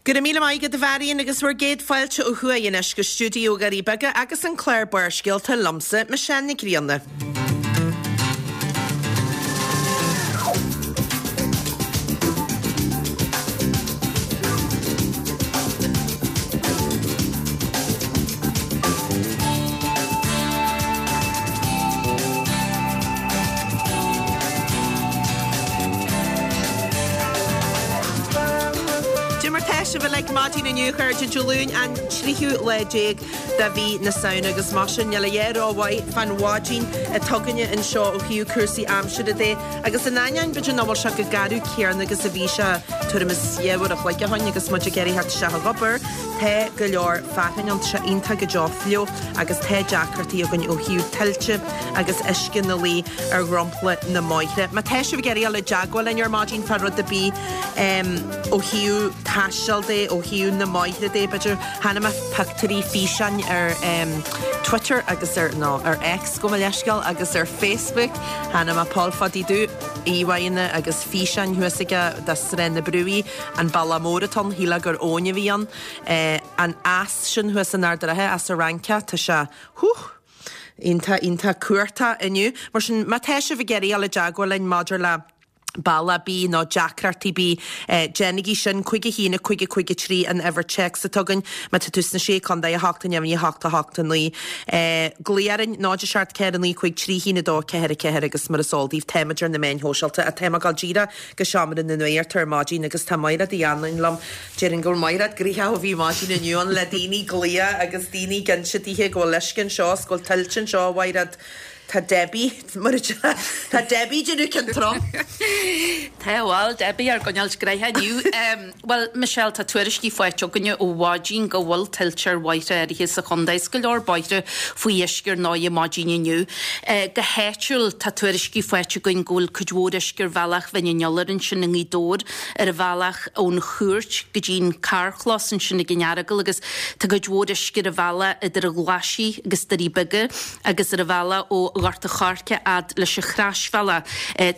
Go raibh míle maith agat a Mharion agus bhur gcéad fáilte ó thuaidh anois go stiúideo Dhoirí Beaga agus an clár Barrscéalta liomsa, Michelle Nic Grianna. Dé mar tá sibh uilig maidin inniu, a chairde, Dé Luain an tríú lá déag de mhí na Samhna agus mar sin níl a dhath rómhaith fán mhaidin atá againne anseo ó thaobh cúrsaí aimsire de agus in ainneoin b'fhéidir nach bhfuil sé chomh garbh céanna agus a bhí sé tuairim is 2 uair a chloig ó shoin agus muid ag iarraidh theacht isteach ag obair, tá go leor fearthainn ann, tá sé iontach go deo fliuch agus tá deacrachtaí againn ó thaobh tuilte agus uisce ina luí ar dhromchla na mbóithre. Má tá sibh ag iarraidh dul i dteagmháil linn ar maidin fá rud ar bith ó thaobh taistil de, ó thaobh na mbóithre de, b'fhéidir, Chonaic mé pictiúirí, físeáin ar Twitter agus ar, nó ar X gabh mo leithscéal, agus ar Facebook. Chonaic mé Paul Phadaí Dubh, íomhánna agus físeáin thuas aige de Srath na Brúighe, an bealach mór atá ann, shílfeá gur abhainn a bhí ann. An eas sin thuas in Ard an Rátha, Eas an Fhrancach, tá sé, hú! iontach, iontach cumhachtach inniu. Mar sin, má tá sibh ag iarraidh dul i dteagmháil linn maidir le bealach ar bith nó deacrachtaí ar bith, déanaigí sin, 5 1 5 5 3 an uimhir téacs atá againn má tá tú sna Sé Contae, 8 0 8 8 9. Glaoigh orainn, 0 7 4 9 5 3 1 2 4 4 agus mar is eol daoibh, táimid ar na meáin shóisialta ach táim ag dul díreach go seomra na nuachta ar maidin agus tá Maighread Uí Anluain liom. Déarfainn go bhfuil Maighread gnoitheach ó bhí maidin inniu ann le daoine ag glaoch agus daoine ag inse daoithe go bhfuil uisce anseo is go bhfuil tuilte anseo, a Mhaighread. Tá Debbie, mar a deir, tá Debbie ag déanamh ceann trom. Tá, bhuel, Debbie ár gcoinneáilt gnoitheach inniu. Bhuel, Michelle, tá tuairiscí faighte againne ó mhaidin go bhfuil tuilte ar bhóithre áirithe sa chontae is go leor bóithre faoi uisce ar ndóigh maidin inniu. Go háitiúil, tá tuairiscí faighte againn go bhfuil cuid mhór uisce ar bhealach Bhinn an Iolair ansin i nGaoth Dobhair, ar an bhealach ón chúirt go dtí an carrchlós ansin ag an Earagail agus tá cuid mhór uisce ar an bhealach idir an Ghlaisigh agus Doirí Beaga. agus ar an bhealach ó Ghort a' Choirce fhad leis an Chroisbhealach.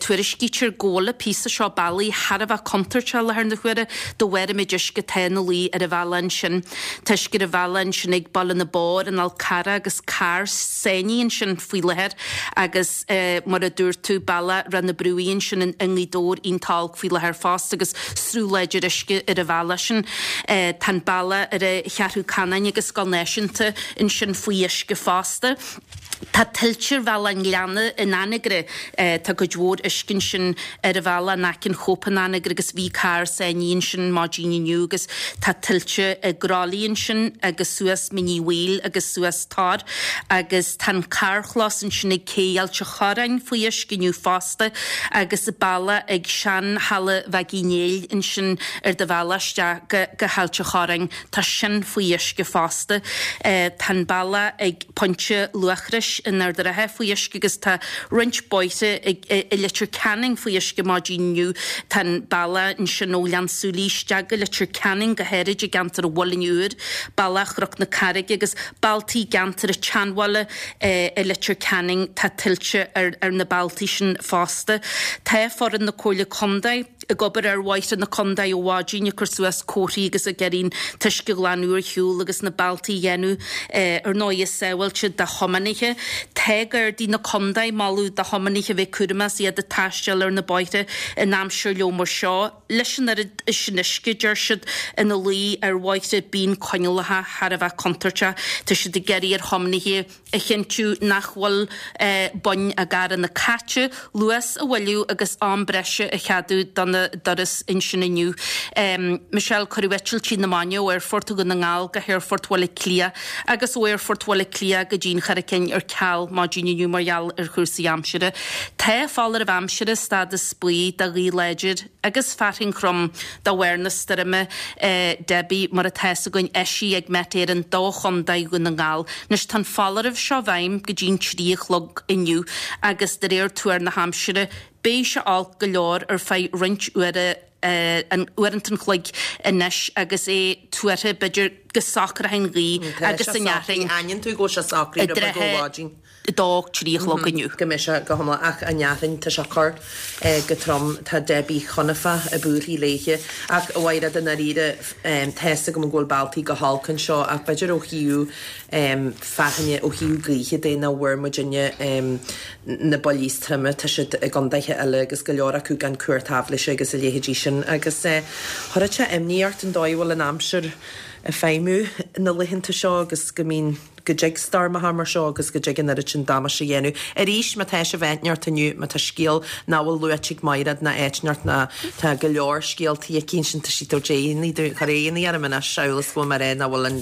Tuairiscítear go bhfuil an píosa seo bealaigh thar a bheith contúirteach i láthair na huaire de bharr an méid uisce atá ina luí ar an bhealach ansin. Tá uisce ar an bhealach ansin ag Baile na bPór, an Fhál Carrach agus carr sáinnithe ansin faoi láthair agus mar a dúirt tú, bealach Ráth na Brúighe ansin i nGaoth Dobhair iontach olc faoi láthair fosta agus sruth láidir uisce ar an bhealach sin. Tá an bealach ar an Cheathrú Canáin agus Scoil Náisiúnta ansin faoi uisce fosta. Tá tuilte ar bhealach an Ghleanna in Anagaire. Tá cuid mhór uisce ansin ar an bhealach in aice an Chóip in Anagaire agus bhí carr sáinnithe ansin maidin inniu agus tá tuilte i gCroithlí ansin agus suas Mín Uí Bhaoill agus suas Tor agus tá an carrchlós ansin ag Cé Ailt a' Chorráin faoi uisce inniu fosta agus bealach ag sean-halla Mhaggie Néill ansin ar do bhealach isteach go go hAilt a' Chorráin. Tá sin faoi uisce fosta. Tá an bealach ag Pointe Luachrais in Ard an Rátha faoi uisce agus tá roinnt bóithre i Leitir Ceanainn faoi uisce maidin inniu. Tá an bealach ansin ó Ghleann tSúilí isteach go Leitir Ceanainn, go háirid i gceantar an Mhuilinn Úir, bealach Chnoc na Carraige agus bealtaí i gceantar an tSeanbhaile i Leitir Ceanainn. Tá tuilte ar na bealtaí sin fosta. Tá foireann na Comhairle Contae. ag obair ar bhóithre na contae ó mhaidin, ag cur suas comharthaí agus ag iarraidh an t-uisce a ghlanadh ar shiúl agus na bealtaí a dhéanamh ar ndóigh sábháilte do thiománaithe. Tá Gardaí na contae ag moladh do thiománaithe a bheith cúramach is iad ag taisteal ar na bóithre in aimsir fhliuch mar seo. Leis an oiread sin uisce, deir siad, ina luí ar bhóithre bíonn coinníollacha thar a bheith contúirteach. Tá siad ag iarraidh ar thiománaithe. a chinntiú nach bhfuil boinn a gcarranna caite, luas a mhoilliú agus am breise a cheadú do na dturas ansin inniu. Michelle, Cuireadh eitiltí na maidine ó Aerfort Dhún na nGall go hAerfort Bhaile Átha Cliath agus ó Aerfort Bhaile Átha Cliath go dtí an Charraig Fhinn ar ceal maidin inniu mar gheall ar chúrsaí aimsire. Tá foláireamh aimsire stádas buí do ghaoth láidir agus fearthainn throm de bharr na stoirme Debbie, mar atá fhios againn, eisithe ag Met Éireann do Chontae Dhún na nGall. Anois tá an foláireamh seo i bhfeidhm go dtí'n 3 a chlog inniu agus de réir tuar na haimsire beidh sé olc go leor ar feadh roinnt uaire uaireanta an chloig anois agus é tuartha b'fhéidir go socróidh an ghaoth agus an fhearthainn Aithníonn tú go bhfuil sé socraithe roimh go mhaidin. 2, 3 a chlog inniu. Go mbeidh sé go hiomlán ach an fhearthainn tá sé ag cur go trom tá Debbie Chonaife i buarthaí léithe ach a Mhaighread i ndáiríre tá's agam go bhfuil bealtaí go holc anseo ach b'fhéidir ó thaobh fearthainne ó thaobh gaoithe de nach bhfuair muidinne na buillí is troime tá siad i gcondaetha eile agus go leor acu gan cumhacht aibhléise agus a leithéidí sin agus chuirfeadh sé imní ort an dóigh a bhfuil an aimsir ag feidhmiú na laethanta seo agus go mbíonn go dtig stoirmeacha mar seo agus go dtig an oiread sin damáiste a dhéanamh. Arís, má tá sibh áit inteacht inniu, má tá scéal nach bhfuil luaite ag Maighread ná áit inteacht ná tá go leor scéaltaí aici ansin, tá sí ag tabhairt aghaidheanna dúinn, chuir aghaidheanna orm anois amhail is go bhfuil mé ag rá nach bhfuil an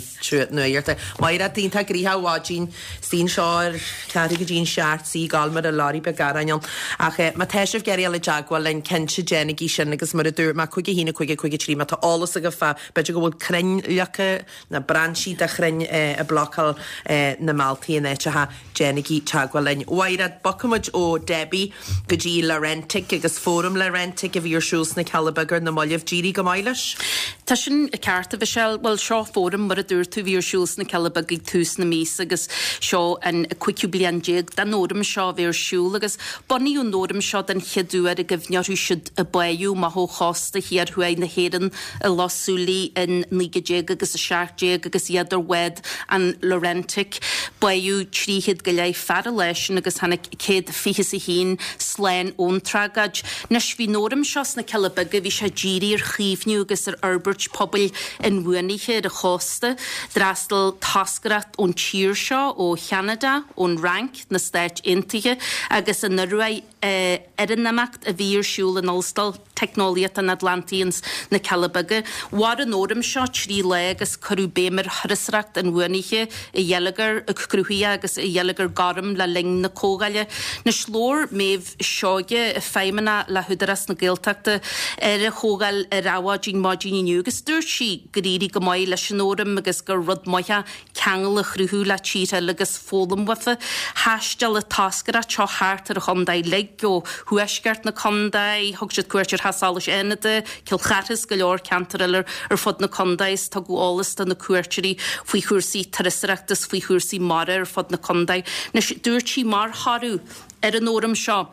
nuaíocht. Maighread, iontach gnoitheach ar maidin, is í anseo ar ceathrú go dtí an seacht, 's í ag gabháil mar a leoraí beag aráin ann. Ach má tá sibh ag iarraidh dul i dteagmháil linn, cinnte déanaigí sin agus mar a dúirt mé, 5 1 5 5 3 má tá eolas agaibh fá, b'fhéidir go bhfuil crainn leagtha, na brainsí de chrainn ag blocáil na mbealtaí in áiteacha, déanaigí teagmháil linn. A Mhaighread, bogfaimid ó Debbie go dtí Laurentic agus Fóram Laurentic a bhí ar siúl sna Cealla Beaga ar na mallaibh. D'éirigh go maith leis? Tá sin ceart, a Mhichelle. Bhuel, seo fóram, mar a dúirt tú, a bhí ar siúl sna Cealla Beaga ag tús na míosa agus seo an cúigiú bliain déag den fhóram seo a bheith ar siúl agus bunaíodh an fhóram seo den chéad uair i gcuimhne orthu siúd a báitheadh amach ó chósta thiar thuaidh na hÉireann i Loch Súilí in 19 agus 17 agus iad ar bhád an Laurentic. Báitheadh 300 go leith fear an lá sin agus tháinig 121 slán ón tragóid. Anois bhí an fhóram seo sna Cealla Beaga, bhí sé dírithe ar chaomhnú agus ar fhorbairt pobail inbhuanaithe ar an chósta. D'fhreastail toscaireacht ón tír seo, ó Cheanada, ón Fhrainc, na Stáit Aontaithe agus an Ioruaidh, ar an imeacht a bhí ar siúl in Ollscoil Teicneolaíochta an Atlantaigh ins na Cealla Beaga. Mhair an fhóram seo 3 lá agus cuireadh béim ar thurasóireacht inbhuanaithe, i gheilleagar cruthaitheach agus i gheilleagar gorm le linn na comhdhála. Anois labhair Méabh Seoige, Feidhmeannach le hÚdarás na Gaeltachta, ar an chomhdháil ar Adhmhaidin maidin inniu agus dúirt sí gur éirigh go maith leis an fhóram agus gur rud maith é ceangal a chruthú le tíortha eile agus foghlaim uafa. Thaistil an toscaireacht seo thart ar an chontae uilig, ó thuaisceart na contae, thug siad cuairt ar Theach Solais Fhánada, Cill Chartha is go leor ceantar eile ar fud na contae is tugadh eolas do na cuairteoirí faoi chúrsaí turasóireachta is faoi chúrsaí mara ar fud na contae. Anois, dúirt sí mar thoradh ar an fhóram seo,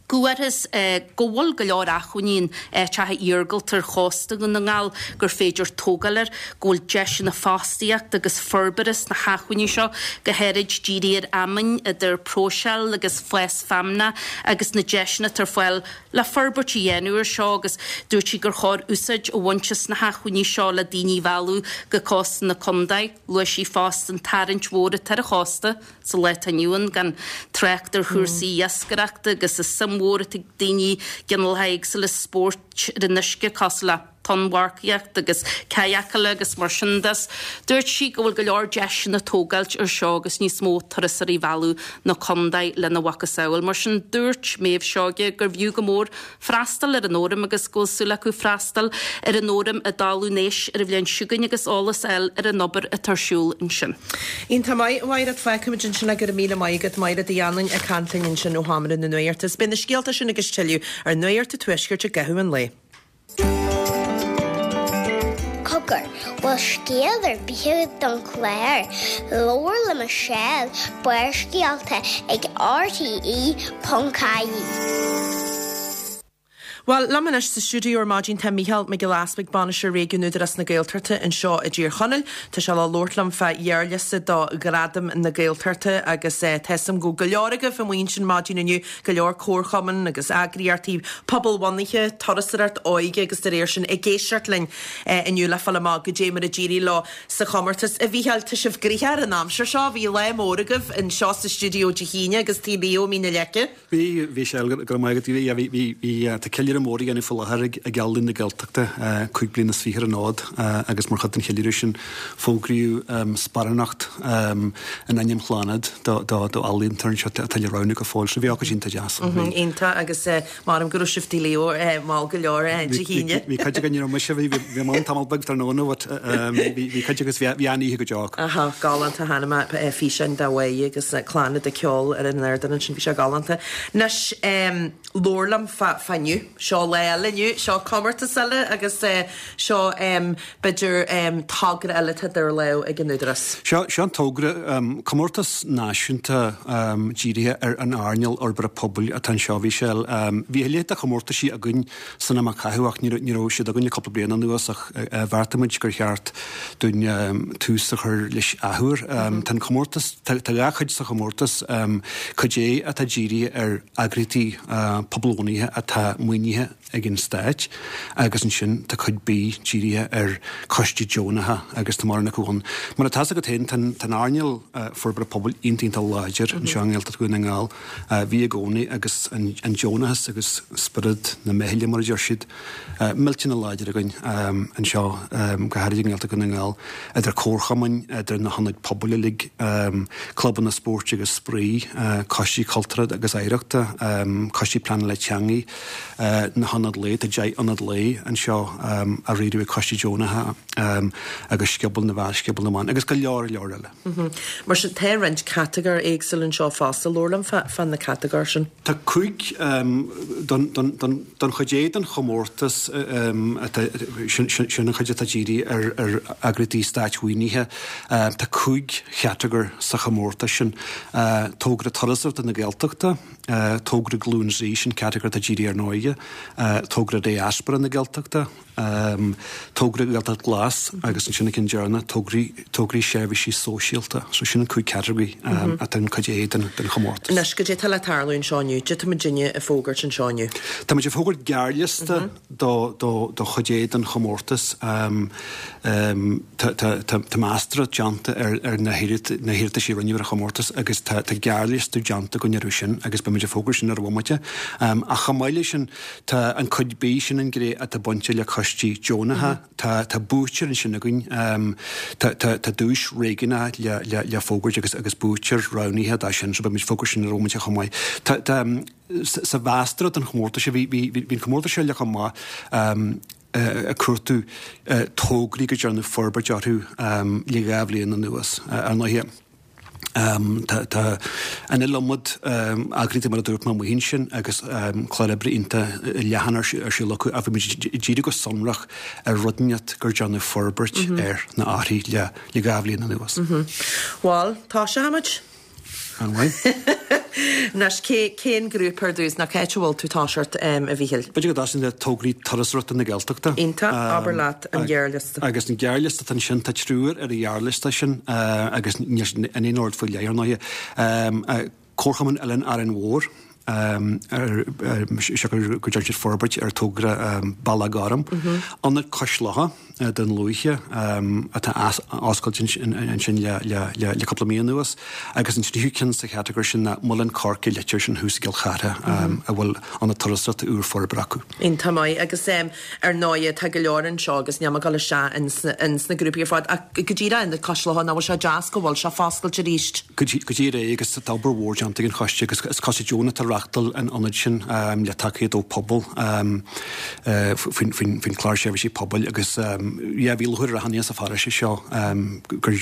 go bhfuarthas go bhfuil go leor acmhainní in áiteacha iargúlta ar chósta Dhún na nGall gur féidir tógáil air, go bhfuil deiseanna fostaíochta agus forbartha sna hacmhainní seo, go háirid dírithe ar fheamainn, idir próiseáil agus fás feamnach agus na deiseanna atá ar fáil le forbairt a dhéanamh air seo agus dúirt sí gur chóir úsáid a bhaint as na hacmhainní seo le daoine a mhealladh go cósta na contae. Luaigh sí fosta an tarraingt mhór atá ar an chósta. Sa lá atá inniu ann, gan trácht ar chúrsaí iascaireachta agus an suim mhór atá ag daoine i gcineálacha éagsúla spóirt ar an uisce cosúil le tonnmharcaíocht agus cadhacáil agus mar sin de. Dúirt sí go bhfuil go leor deiseanna tógáilt ar seo agus níos mó turasóirí a mhealladh na contae lena mhacasamhail. Mar sin dúirt Méabh Seoige gurbh fhiú go mór freastal ar an fhóram agus go bhfuil súil acu freastal ar an fhóram i dTalamh Nois ar an bhliain seo chugainn agus eolas a fháil ar an obair atá ar siúl ansin. Iontach maith, a Mhaighread. Fágfaimid ansin é. Go raibh míle maith agat, Maighread Uí Anluain ag caint linn ansin ó Sheomra na Nuachta. Is beidh na scéalta sin agus tuilleadh ar Nuacht an Tuaiscirt i gcaitheamh an lae. Cogar, bhfuil scéal ar bith agat don chlár? Labhair le Michelle, Barrscéalta ag RTE.ie. Bhuel, liom anois sa stiúideo ar maidin tá Mícheál Mac Giolla Easbuig, Bainisteoir Réigiúin Údarás na Gaeltachta anseo i dTír Chonaill. Tá sé le labhairt liom fá ghearrliosta do Ghradaim na Gaeltachta agus tá 'fhios a'm go bhfuil go leor agaibh amuigh ansin maidin inniu, go leor comharchumann agus eagraíochtaí pobalbhunaithe, turasóireacht, óige agus dá réir sin ag éisteacht linn inniu le fáil amach goidé mar a d'éirigh leo sa chomórtas. A Mhícheáil, tá sibh gnoitheach ar an aimsir seo. Bhí lá mór agaibh anseo sa stiúideo Dé hAoine agus Taobh Leo i Mín na Leice. Bhí, bhí sé, go raibh maith agat. Bhí, yeah, bhí, bhí, bhí, tá ceiliúradh mór á dhéanamh faoi láthair ag, ag Ealaín na Gaeltachta, 25 bliana ar an fhód, agus mar chuid den cheiliúradh sin fógraíodh sparánacht in ainm Chlannad do, do, do ealaíontóir anseo atá le roghnú go fóill. So bhí ócáid iontach deas. Iontach agus measaim go raibh sibh Taobh Leo mall go leor Dé hAoine. Bhí cuid againn, ní raibh mise, bhí, bhí mé ann tamall beag tráthnóna but bhí, bhí cuid agus bhí, bhí an-oíche go deo acu. Aha, galánta, chonaic mé físeáin de Mháire agus Clannad ag ceol ar an ardán ansin, bhí sé galánta. Anois, labhair liom fá, fá inniu. Seo lá eile inniu, seo comórtas eile agus seo b'fhéidir togra eile atá idir lámha ag an Údarás. Seo, seo an togra, comórtas náisiúnta dírithe ar an earnáil fhorbartha pobail atá anseo, a Mhichelle. Bhí a leithéid de chomórtaisí againn san am a caitheadh ach ní raibh siad againn le cúpla bliain anuas ach bheartaigh muid gur cheart dúinn tús a chur leis athuair. Tá an comórtas, tá dhá chuid sa chomórtas, cuid A atá dírithe ar eagraíochtaí pobalbhunaithe atá maoinithe ag an Stát agus ansin tá cuid B dírithe ar choistí deonacha agus tá mórán acu ann. Mar atá 's agat féin, tá an earnáil forbartha pobail iontach iontach láidir anseo i nGaeltacht Dhún na nGall. Bhí i gcónaí agus an deonachas agus spiorad na meithle mar a deir siad, millteanach láidir againn anseo, go háirid i nGaeltacht Dhún na nGall, idir comharchumainn, idir na hionaid pobail uilig, clubanna spóirt agus spraoi, coistí cultúrtha agus oidhreachta, coistí pleanála teanga, na hionaid lae, tá 10 ionad lae anseo á riaradh ag coistí deonacha, agus Scioból na bhFear, Scioból na mBan agus go leor leor eile. Mar sin, tá roinnt catagóir éagsúil anseo fosta. Labhair liom fá na catagóir sin. Tá 5 don chuid A den chomórtas, sin an chuid atá dírithe ar eagraíochtaí státmhaoinithe. Tá 5 chatagóir sa chomórtas sin, Togra Turasóireachta na Gaeltachta, Togra Glúin Z, sin catagóir atá dírithe ar an óige, Togra Diaspóra na Gaeltachta, Togra Gaeltacht Glas agus ansin an ceann deireanach, tograí, tograí seirbhísí sóisialta. So sin an 5 category atá in cuid A den chomórtas. Anois, goidé tá le tarlú anseo inniu? Goidé tá muidinne ag fógairt anseo inniu? Tá muid ag fógairt gearrliosta do, do, do chuid A den chomórtas. Tá, tá, tá, tá meastóireacht déanta ar, ar na na hiarratais a rinneadh ar an chomórtas agus tá, tá gearrliosta déanta againn orthu sin agus beidh muid ag fógairt sin ar bhomaite. Ach chomh maith leis sin, Tá an cuid B, sin an ghné atá bainte le coistí deonacha. Tá tá buaiteoir ansin againn. Tá tá tá duais réigiúnach le le le fógairt agus agus buaiteoir roghnaithe dá sin so beidh muid ag fógairt sin ar bhomaite chomh maith. Tá tá sa mheastóireacht don chomórtas seo bhí bhí bhí an comórtas seo le chomh maith ag cuartú tograí go ndearnadh forbairt orthu le dhá bhliain anuas. Ar ndóighe, Tá an iliomad eagraíochtaí mar a dúirt mé amuigh ansin agus clár oibre iontach leathan ar siúl acu ach bhí muid ag díriú go sonrach ar rud inteacht gur déanadh forbairt air nó uirthi le dhá bhliain anuas. Bhuel, tosóidh muid. An-mhaith. Anois, cén grúpa ar dtús, nó cá háit a bhfuil tú ag toiseacht, a Mhíchíl? B'fhéidir go dtosóinn le tograí turasóireachta na Gaeltachta. Iontach, abair leat an gearrliosta. Agus an gearrliosta atá ansin, tá triúr ar an ghearrliosta sin agus níl siad in aon ord faoi leith, ar ndóighe. Comharchumann Oileán Árainn Mhór, siocair go dtearn siad forbairt ar togra Bealach Gorm. Ionad Cois Locha Dún Lúiche atá oscailte ansin le cúpla mí anuas agus an tríú ceann sa chatagóir sin ná Muileann Coirce Leitir, sin thuas i gCill Chartha a bhfuil ionad turasóireachta úr forbartha acu. Iontach maith agus ar ndóighe tá go leor anseo agus níl mé ag dul isteach ins na grúpaí ar fad ach go díreach Ionad Cois Locha nach bhfuil sé deas go bhfuil sé foscailte arís. Go díreach é agus tá obair mhór déanta ag an choiste agus is coiste deonach atá ag reáchtáil an ionaid sin le tacaíocht ó Pobal faoin chlár seirbhísí pobail agus yeah bhí lúcháir ar achan duine sa pharóiste seo gur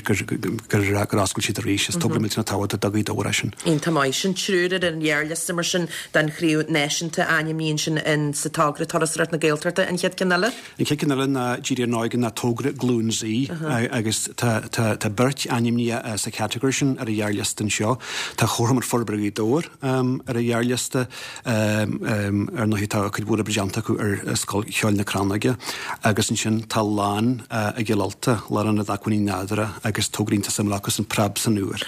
oscail siad arís. Is togra millteanach tábhachtach do Ghaoth Dobhair é sin. Iontach maith. Sin triúr ar an ghearrliosta mar sin don chraobh náisiúnta ainmnithe ansin in sa togra Turasóireacht na Gaeltachta. An chéad ceann eile? An chéad ceann eile ná dírithe ar an óige ná togra Glúin Z agus tá beirt ainmnithe sa chatagóir sin ar an ghearrliosta anseo. Tá Comharchumann Forbartha Ghaoth Dobhair ar an ghearrliosta. Ar ndóigh tá cuid mhór oibre déanta acu ar Scoil Cheoil na Crannóige agus ansin tá Lán i gCill Ulta, Lárionad Acmhainní Nádúrtha agus togra iontach suimiúil acusan Preab san Iúr.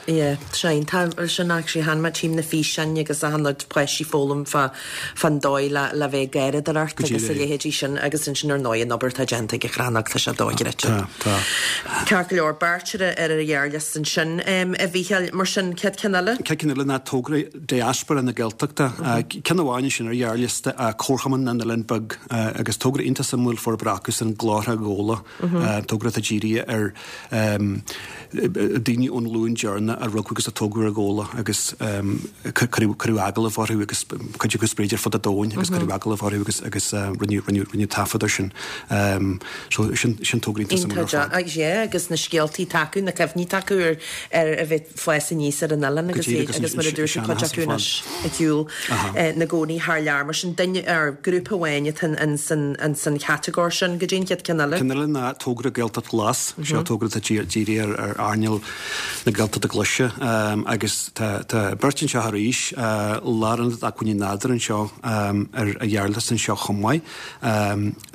Yeah, sin, tá sin actually chonaic mé tchím na físeáin agus achan rud páistí ag foghlaim fá fán dóigh le le bheith ag garraíodóireacht agus a leithéidí sin agus ansin ar ndóigh an obair atá déanta ag an Chrannóg tá sé dochreidte. Tá, tá. Ceart go leor, beirt ar ar an ghearrliosta ansin. A Mhícheáil, mar sin, chéad ceann eile? Chéad ceann eile ná togra Diaspóra na Gaeltachta. Ceann amháin ansin ar ghearrliosta, Comharchumann na nOileán Beag agus togra iontach suimiúil forbartha acusan, Glór. Láithreacha Ghabhla, togra atá dírithe ar daoine ón ghlúin deireanach a rugadh agus a tógadh ar Ghabhla agus cuireadh agallamh orthu agus cuid acu spréite ar fud an domhain agus cuireadh agallamh orthu agus agus rinneadh rinneadh rinneadh taifead air sin. So sin sin togra iontach suimiúil ar fad. Iontach yeah agus na scéaltaí atá acu, na cuimhní atá acu ar ar a bheith ag fás aníos ar an oileán agus agus mar a dúirt tú cuid acu anois ar shiúl ina gcónaí thar lear. Mar sin duine ar grúpa amháin atá ins an ins an chatagóir sin. Goidé an chéad ceann eile. Ceann eile ná togra Gaeltacht Ghlas. Seo togra atá dírithe ar ar earnáil na Gaeltachta Glaise agus tá tá beirt anseo arís, Lárionad Acmhainní Nádúrtha anseo ar an ghearrliosta anseo chomh maith.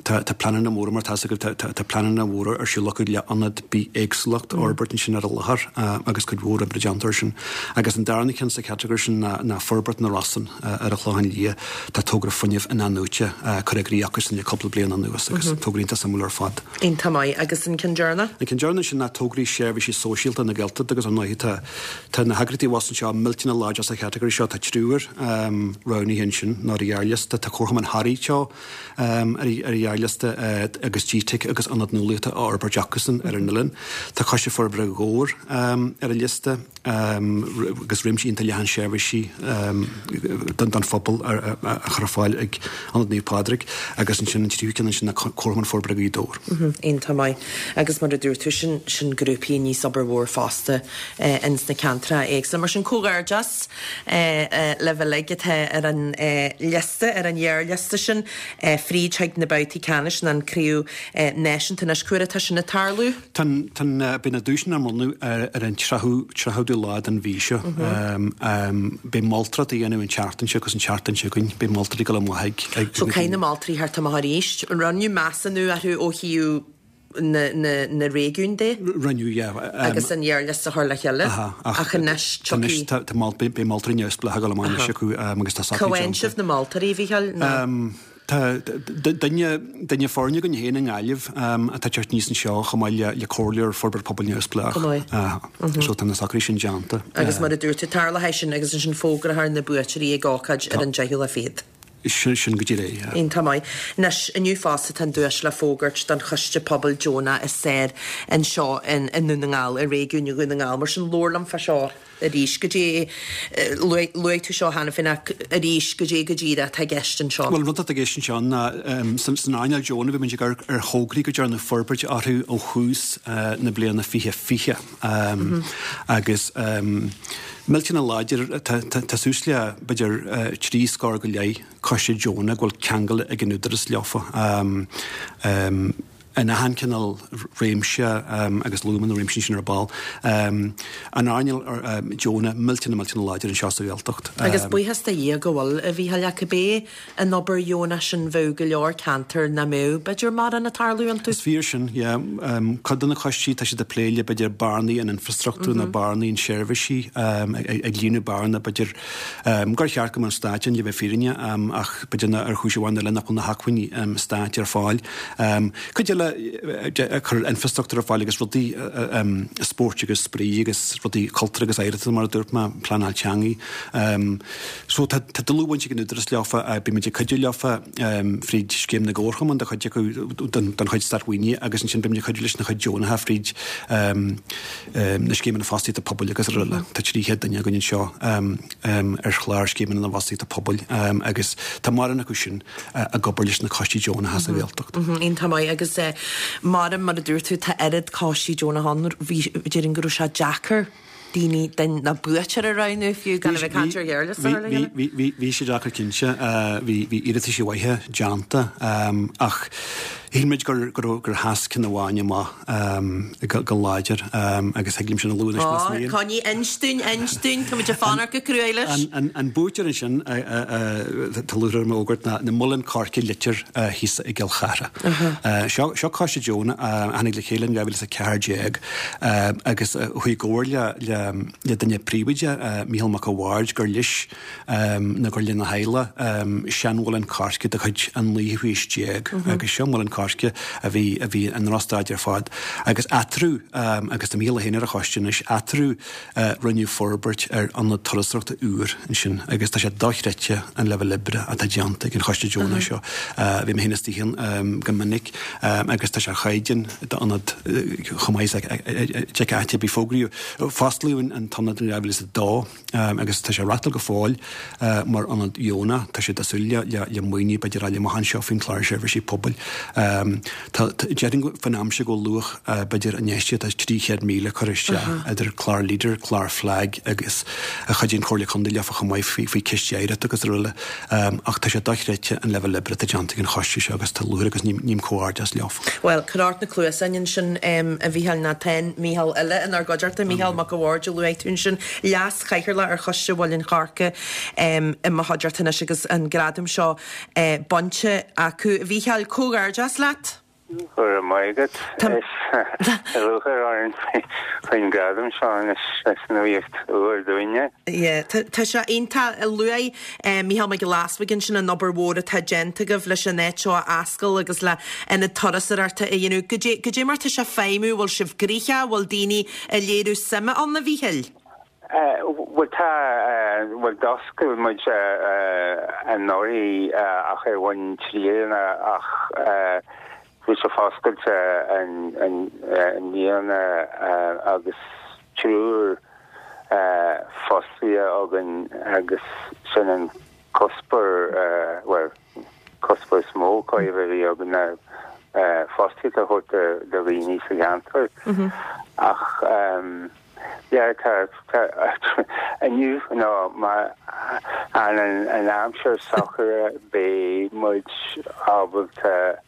Tá tá pleananna móra, mar tá a fhios agat, tá tá pleananna móra ar siúl acu le ionad bithéagsúlacht a fhorbairt ansin ar an láthair agus cuid mhór oibre déanta air sin. Agus an darna ceann sa chatagóir sin ná ná Forbairt na Rosann ar an Chlochán Liath. Tá togra fuinnimh in-athnuaite curtha i gcrích acusan le cúpla bliain anuas agus togra iontach suimiúil ar fad. Iontach maith. Agus an ceann deireanach? An ceann deireanach sin ná tograí seirbhísí sóisialta na Gaeltachta agus ar ndóigh tá tá na heagraíochtaí abhus anseo millteanach láidir sa chatagóir seo. Tá triúr roghnaithe ansin nó ar an ghearrliosta. Tá Comharchumann Thoraí Teo. ar an ghearrliosta agus GTeic agus Ionad Nuálaíochta á fhorbairt acusan ar an oileán. Tá Coiste Forbartha Dhobhair ar an liosta agus réimse iontach leathan seirbhísí don phobal á chur ar fáil ag Ionad Naomh Pádraig agus ansin an tríú ceann ansin ná Comharchumann Forbartha Ghaoth Dobhair. Iontach maith. Agus mar a dúirt tú, sin sin grúpaí a níos obair mhór fosta ins na ceantracha éagsúla. Mar sin comhghairdeas libh uilig atá ar an liosta, ar an ghearrliosta sin, fríd chuig na babhtaí ceannais nó an craobh náisiúnta anois. Cá huair atá sin ag tarlú? Tá an, tá an, beidh na duaiseanna á mbronnadh ar an tríochadú, tríochadú lá den mhí seo. Beidh moltóireacht á dhéanamh an tseachtain seo agus an tseachtain seo chugainn. Beidh moltóirí ag dul amach ag, ag. So caithfidh na moltóirí theacht amach arís. Rinneadh measúnú orthu ó thaobh na réigiún de. Rinneadh, yeah. Agus an ghearrliosta a chur le chéile. Ach anois tiocfaidh. Anois tá mol, beidh moltóirí neamhspleácha ag dul amach anois acu agus tá socruithe déanta. Cá bhfaigheann sibh na moltóirí, a Mhícheáil? Nó. Tá duine, duine foirne againn féin i nGaillimh atá ag teacht aníos anseo chomh maith le le comhairleoir forbairt pobail neamhspleách. Go maith. So tá na socruithe sin déanta. Agus mar a dúirt tú, tarlóidh sin agus ansin fógrófar na buaiteoirí ag ócáid ar an deichiú lá fichead. Sin go díreach é, yeah. Iontach maith. Anois, inniu fosta tá an duais le fógairt don Choiste Pobail Deonach is fearr anseo i nDún na nGall, i réigiún Dhún na nGall. Mar sin, labhair liom fá seo arís. Goidé, luaigh tú seo cheana féin ach arís, goidé go díreach atá i gceist anseo? Bhuel, an rud atá i gceist anseo ná san earnáil deonach bhí muid ag amharc ar thograí go ndearnadh forbairt orthu ó thús na bliana 2020 agus Millteanach láidir, tá suas le, b'fhéidir, 30 scór go leith coiste deonach go bhfuil ceangal ag an Údarás leofa in achan cineál réimse agus luaigh mé na réimsí sin ar ball. An earnáil deonach millteanach millteanach láidir anseo sa Ghaeltacht. Agus buíochas do Dhia go bhfuil, a Mhícheáil, ach cibé an obair dheonach sin bheadh go leor ceantar nach mbeadh, b'fhéidir, mórán ag tarlú iontu. Is fíor sin, yeah. Cuid de na coistí, tá siad ag plé le, b'fhéidir, bearnaí in infrastruchtúr nó bearnaí in seirbhísí, ag líonadh bearna, b'fhéidir, gur cheart go mbeadh an Stát ann, le bheith fírinneach, ach b'fhéidir ar chúis amháin nó eile nach bhfuil na hacmhainní Stáit ar fáil. Cuid eile ag cur infrastruchtúr ar fáil agus rudaí spóirt agus spraoi agus rudaí cultúir agus oidhreachta, mar a dúirt mé, pleanáil teangaí. So tá dlúthbhaint ag an Údarás leofa, bímid ag cuidiú leofa fríd Scéim na gComharchumann do chuid acu, don chuid státmhaoinithe agus ansin bímid ag cuidiú leis na cuid deonacha fríd na Scéimeanna Fostaíochta Pobail agus araile. Tá 300 duine againn anseo ar chlár Scéimeanna na bhFostaíochta Pobail agus tá mórán acu sin ag obair leis na coistí deonacha sa Ghaeltacht. Iontach maith agus mar mar a dúirt tú tá oiread coistí deonacha ann, bhí, déarfainn go raibh sé deacair daoine den ná buaiteoir a roghnú fiú gan a bheith ag caint ar ghearrliosta a chur le chéile? Bhí sé deacair cinnte. Bhí iarrataisí mhaithe déanta ach shíl muid gur sheas ceann amháin amach go láidir agus thig liom sin a lua anois más mian. Coinnigh, inis dúinn, inis dúinn, tá muid ag fanacht go cruaidh leis. An buaiteoir ansin tá lúcháir orm a fhógairt ná na Muileann Coirce Leitir thíos i gCill Chartha. Seo coiste deonach a tháinig le chéile in 2014 agus chuaigh i gcomhairle le duine príomhoide, Mícheál Mac a' Bhaird, gur leis nó gur lena theaghlach seanmhuileann coirce de chuid an naoú haois déag agus seo muileann coirce. Choirce a bhí a bhí i ndrochstaid ar fad. Agus eatarthu, agus tá Mícheál é féin ar an choiste anois, eatarthu rinneadh forbairt ar ionad turasóireachta úr ansin agus tá sé dochreidte an leibhéal oibre atá déanta ag an choiste deonach seo. Bhí mé féin istigh ann go minic agus tá sé ar chaighdeán d'ionad chomh maith is a d'fheicfeá áit ar bith. Fógraíodh, fosclaíodh an t-ionad in 2002. Agus tá sé á reáchtáil go fóill mar ionad deonach. Tá siad ag súil le maoiniú b'fhéidir a fháil amach anseo faoin Chlár Seirbhísí Pobail. Tá, déarfainn faoin am seo go bhfuil luach b'fhéidir infheistíocht 300,000 curtha isteach idir clár Leader, clár FLAG agus a chuidíonn Comhairle Contae leofa chomh maith faoi cistí oidhreachta agus araile. Ach tá sé dochreidte an leibhéal oibre atá déanta ag an choiste seo agus tá lúcháir agus ním comhghairdeas leofa. Bhuel, cuir ort na cluasáin ansin, a Mhícheáil, nó tá an Mícheál eile inár gcuideachta, Mícheál Mac a' Bhaird a luaigh tú ansin, Leas-Chathaoirleach ar Choiste Mhuileann Choirce i mo chuideachta anois agus an gradam seo bainte acu. A Mhícheáil, comhghairdeas leat. Go raibh maith agat. Is lúcháir orainn faoin ngradam seo anois, is nuaíocht úr dúinne. Yeah, tá sé iontach. Luaigh Mícheál Mac Giolla Easbuig ansin an obair mhór atá déanta agaibh leis an áit seo a oscail agus le ionad turasóireachta a dhéanamh. Goidé, goidé mar tá sé ag feidhmiú, bhfuil sibh gnoitheach, bhfuil daoine ag léiriú suime ann, a Mhíchíl? Bhuel tá, bhuel d'oscail muid anuraidh ach ar bhonn trialach ach bhí sé foscailte i mbliana agus triúr fostaithe againn agus sin an cuspóir, bhuel, cuspóir is mó chóir a bheith a bhí againn ná fostaíocht a thabhairt do dhaoine sa cheantar ach yeah tá tá inniu nó má fhanann an aimsir socair beidh muid ábalta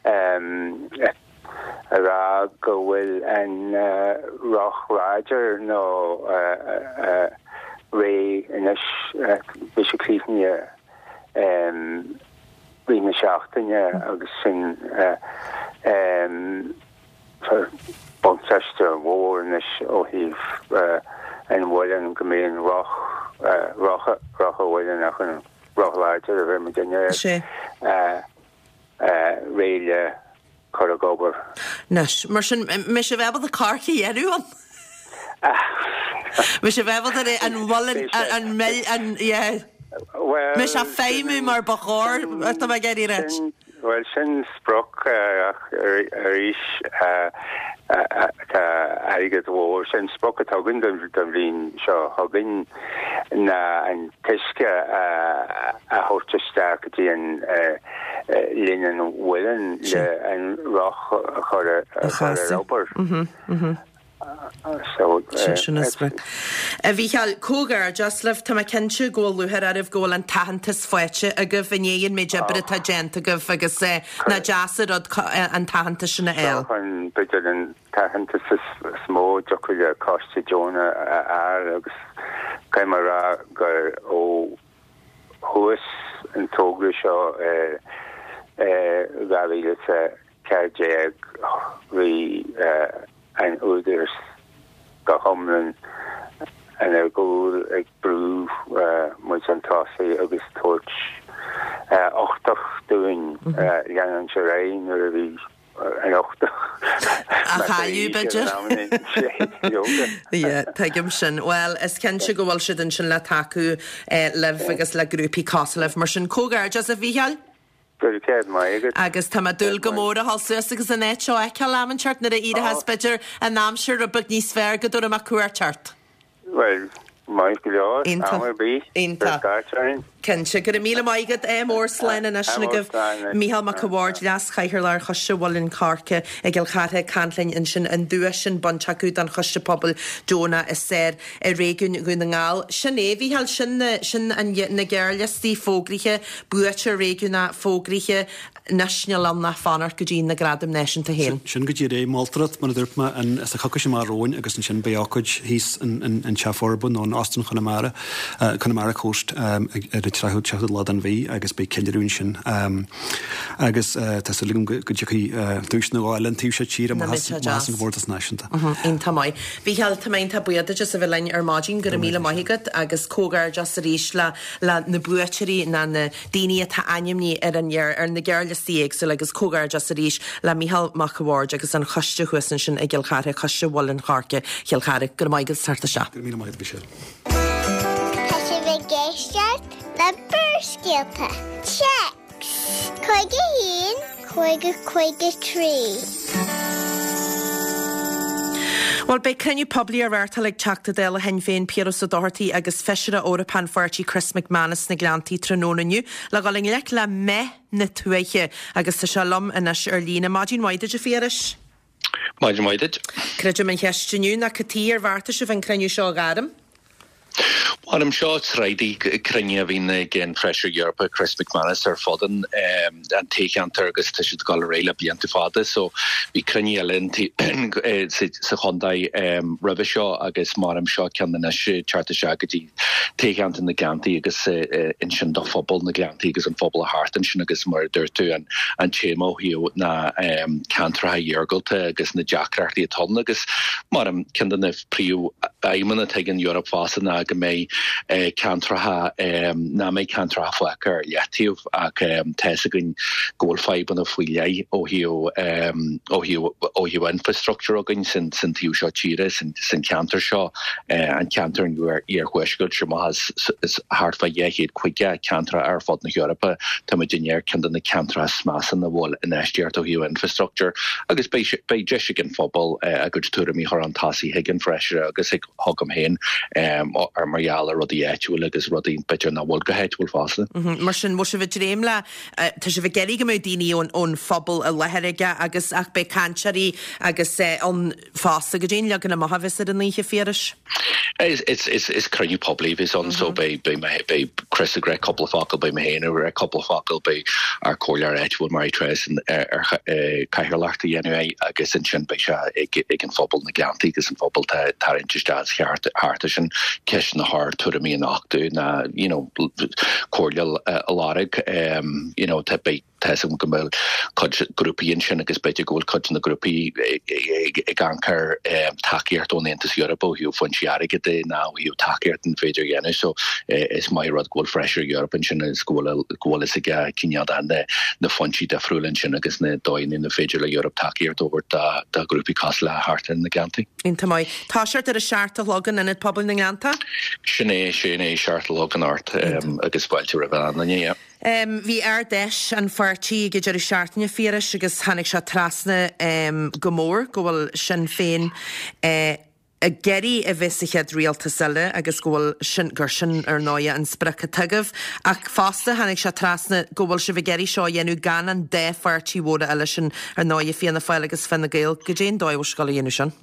a rá go bhfuil an roth láidir nó réidh anois beidh sé críochnaithe rith na seachtaine agus sin buntáiste mhór anois ó thaobh an mhuilinn go mbeidh an roth, roth, roth an mhuilinn ach an roth láidir a bheidh muid air réidh le cur ag obair. Anois, mar sin, mbeidh sibh ábalta coirce a dhéanamh ann? Mbeidh sibh ábalta an mhuileann, an mill, an, yeah. Mbeidh sé ag feidhmiú mar ba chóir, tá mé ag iarraidh a ráit. Bhuel, sin sprioc ach arís tá airgead mhór. Sin sprioc atá againn don bhliain seo chugainn ná an t-uisce a thabhairt isteach go dtí an linn an mhuilinn le an roth a chur ar obair. Sin an sprioc. A Mhícheáil, comhghairdeas libh. Tá mé cinnte go bhfuil lúcháir oraibh go bhfuil an t-aitheantas faighte agaibh i ndiaidh an méid oibre atá déanta agaibh agus nach deas an rud an t-aitheantas sin a fháil. Seo an, b'fhéidir, an t-aitheantas is mó a dtiocfadh le coiste deonach a fháil agus caithfidh mé a rá gur ó thús an togra seo i 2014 bhí an Údarás go hiomlán inár gcúl ag brú muid chun tosaigh agus tabhairt uchtach dúinn leanúint ar aghaidh nuair a bhí an uchtach á chailleadh, b'fhéidir. Yeah, tuigim sin. Bhuel, is cinnte go bhfuil siad ansin le tacú libh agus le grúpaí cosúil libh. Mar sin, comhghairdeas a Mhícheáil! Go raibh céad maith agat. Agus tá mé ag dúil go mór a dhul suas agus an áit seo a fheiceáil am inteacht nuair a éireochas b'fhéidir an aimsir rud beag níos fearr go dtabharfaidh mé cuairt ort. Bhuel, maith go leor, am ar bith. Iontach. Cuir scairt orainn. Cinnte. Go raibh míle maith agat. Ádh mór, slán anois agaibh. Mícheál Mac a' Bhaird, Leas-Chathaoirleach ar Choiste Mhuileann Choirce i gCill Chartha ag caint linn ansin an duais sin bainte acu don Choiste Pobail Deonach is fearr i réigiún Dhún na nGall. Sin é, a Mhícheáil, sin na, sin an, na gearrliostaí fógraithe. Buaiteoir réigiúnach fógraithe anois níl ann ach fanacht go dtí na Gradaim Náisiúnta féin. Sin go díreach é. Moltóireacht, mar a dúirt mé, an sa choicís amach romhainn agus ansin beidh ócáid thíos in Teach Forbartha nó in Óstán Chonamara, Connemara Coast, ar an 37ú lá den mhí agus beidh ceiliúradh ansin. Agus tá súil agam go dtiocfaidh duais nó dhó eile an taobh seo tíre amach as an gcomórtas náisiúnta. Iontach maith. Mhícheáil, tá mé iontach buíoch duit as a bheith linn ar maidin. Go raibh míle maith agat agus comhghairdeas arís le le na buaiteoirí ná na daoine atá ainmnithe ar an ar na gearrliostaí. liostaí éagsúla agus comhghairdeas arís le Mícheál Mac a' Bhaird agus an choiste thuas ansin i gCill Chartha, Coiste Mhuileann Choirce Chill Chartha. Go raibh maith agat as teacht isteach. Go raibh míle maith agat, Michelle. Tá sibh ag éisteacht le Barrscéalta. Téacs 51 50 53. Bhuel, beidh cruinniú poiblí á reáchtáil ag Teachta Dála Shinn Féin Piaras Ó Dochartaigh agus Feisire Eorpach an pháirtí Chris MacManus sna Gleanntaí tráthnóna inniu le dhul i ngleic le meath na tuaithe agus tá sé liom anois ar líne. Maidin mhaith duit a Phiarais. Maidin mhaith duit. Creidim an cheist inniu ná cad chuige ar bheartaigh sibh an cruinniú seo a ghairm? Mairim, seo sraith de chruinnithe a bhíonn ag an Feisire Eorpach Chris MacManus ar fud an toghcheantair agus tá siad ag dul ar aghaidh le blianta fada so bhí cruinnithe eile sa chontae roimhe seo agus mairim seo ceann anois teacht isteach go dtí toghcheantar na Gleanntaí agus ansin do phobal na Gleanntaí agus an phobal thart ansin agus mar a dúirt tú an an téama ó thaobh na ceantracha iargúlta agus na deacrachtaí atá ann agus mairim ceann de na príomhaidhmeanna atá ag an Eoraip fosta ná go mbeidh ceantracha nach mbeidh ceantracha fágtha ar leataobh ach tá fhios againn go bhfuil fadhbanna faoi leith ó thaobh ó thaobh ó thaobh infrastructure againn san san taobh seo tíre san san ceantar seo an ceantar an iarthuaiscirt seo amach is thart fá 250 ceantracha ar fud na hEorpa tá muidinne ar ceann de na ceantracha is measa ina bhfuil infheistíocht ó thaobh infrastructure agus beidh beidh deis ag an phobal a gcuid tuairimí a chur chun tosaigh chuig an bhFeisire agus chuig chugam féin ar mar gheall ar rudaí áitiúil agus rudaí b'fhéidir nach bhfuil go háitiúil fosta. Mar sin, bhfuil sibh ag dréim le, tá sibh ag iarraidh go mbeadh daoine ón phobal i láthair aige agus ach beidh cainteoirí agus ann fosta. Goidé an leagan amach a bheas ar an oíche, a Phiarais? Is is is cruinniú poiblí a bheas ann so beidh beidh mé beidh Chris ag rá cúpla focal, beidh mé féin ag rá cúpla focal, beidh ár comhairleoir áitiúil Mary Therese ar cathaoirleacht a dhéanamh air agus ansin beidh sé ag ag an phobal na Gleanntaí agus an phobal tá tarraingt isteach thart thart ansin ceisteanna a chur tuairimí a nochtadh ná you know comhairle a lorg you know tá beidh Tá 'fhios agam go bhfuil cuid grúpaí ansin agus b'fhéidir go bhfuil cuid de na grúpaí ag amharc ar tacaíocht ón Aontas Eorpach ó thaobh foinsí airgid de ná ó thaobh tacaíocht an féidir a dhéanamh. So is maith rud go bhfuil Feisire Eorpach ansin agus go bhfuil go bhfuil fhios aige cineál de na foinsí difriúla ansin agus na dóigheanna ina féidir le Eoraip tacaíocht a thabhairt do ghrúpaí cosúil le thart ar na Gleanntaí. Iontach maith. Toiseacht ar a 7 a chlog in Ionad Pobail na nGleanntach? Sin é, sin é, 7 a chlog anocht agus fáilte roimh achan duine, yeah. Bhí Ard-Fheis an pháirtí ag an deireadh seachtaine, a Phiarais, agus tháinig sé trasna go mór go bhfuil Sinn Féin ag iarraidh a bheith sa chéad rialtas eile agus go bhfuil sin, gur sin ar ndóighe an sprioc atá agaibh. Ach fosta tháinig sé trasna go bhfuil sibh ag iarraidh seo a dhéanamh gan an dá pháirtí mhóra eile sin ar ndóighe, Fianna Fáil agus Fine Gael. Goidé an dóigh a bhfuil sibh ag dul a dhéanamh sin?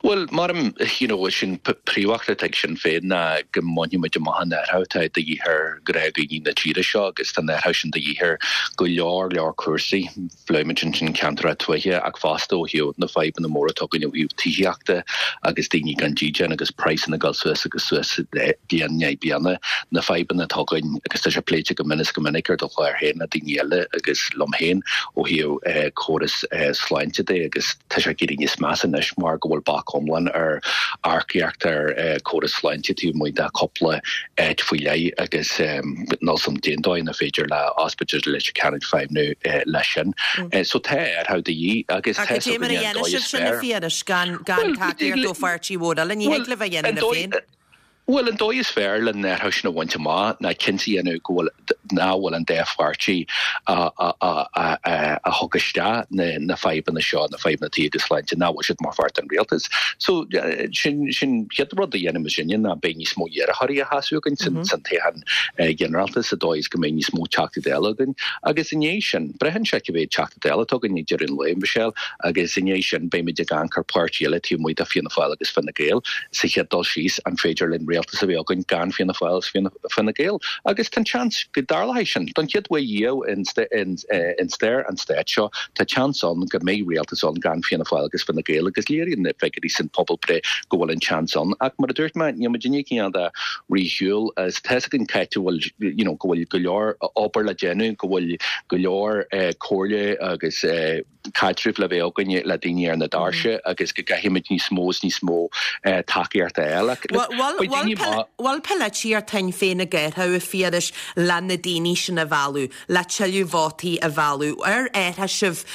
Bhuel, mairim, you know, sin príomhfheachtas atá ag Sinn Féin ná go mbainfidh muid amach an athrú atá de dhíth ar ghnáthdhaoine na tíre seo agus tá an athrú sin de dhíth ar go leor leor cúrsaí. Phléigh muid ansin ceantracha tuaithe ach fosta ó thaobh na fadhbanna móra atá againn ó thaobh tithíochta agus daoine gan dídean agus praghsanna ag dul suas agus suas bliain i ndiaidh bliana. Na fadhbanna atá againn agus tá sé pléite go mion is go minic ar do chlár féin le daoine eile agus liom féin ó thaobh córas sláinte de agus Tá sé ag éirí níos measa anois mar go bhfuil bac iomlán ar earcaíocht ar córas sláinte taobh amuigh de chúpla áit faoi leith agus níl 'fhios a'm cén dóigh ina féidir le ospidéal Leitir Ceanainn feidhmniú leis sin. So tá athrú de dhíth agus tá 'fhios againne an dóigh is fearr. Ach cad é mar a dhéanfaidh sibh sin, a Phiarais, gan tacaíocht ó pháirtí mhór eile? Ní thig libh a dhéanamh libh féin. Bhuel, an dóigh is fearr le an athrú sin a bhaint amach ná cinnte a dhéanamh go bhfuil, nach bhfuil an dá pháirtí a thug isteach na fadhbanna seo, na fadhbanna tithíochta agus sláinte, nach bhfuil siad mar pháirt den rialtas. So, sin, sin chéad rud a dhéanfaidh muidinne ná beidh níos mó iarrthóirí á sheasamh againn san toghchán ginearálta sa dóigh is go mbeidh níos mó Teachtaí Dála againn. Agus i ndiaidh sin, braitheann sé cé mhéad Teachta Dála atá againn ag deireadh an lae, Michelle, agus i ndiaidh sin beidh muid ag amharc ar pháirtí eile taobh amuigh de Fianna Fáil agus Fine Gael. Sa chéad dul síos, an féidir linn rialtas a bheith againn gan Fianna Fáil agus Fine Gael? Agus tá an seans go dtarlóidh sin. Don chéad uair riamh in stair an stáit seo, tá seans ann go mbeidh rialtas ann gan Fianna Fáil agus Fine Gael agus léiríonn na figiúirí san pobalbhreith go bhfuil an seans ann. Ach mar a dúirt mé, níl muid i ndiaidh cineál de rith ar shiúl. Tá 'fhios againn cá háit a bhfuil, you know, go bhfuil go leor obair le déanamh, go bhfuil go leor comhairle agus, caidreamh le bheith againn le daoine ar na doirse agus go gcaithfimid níos mó is níos mó tacaíocht a fháil. Bhfuil. Bhfuil polaitíocht Shinn Féin ag athrú, a Phiarais, le na daoine sin a mhealladh, le tuilleadh vótaí a mhealladh? Ar athraigh sibh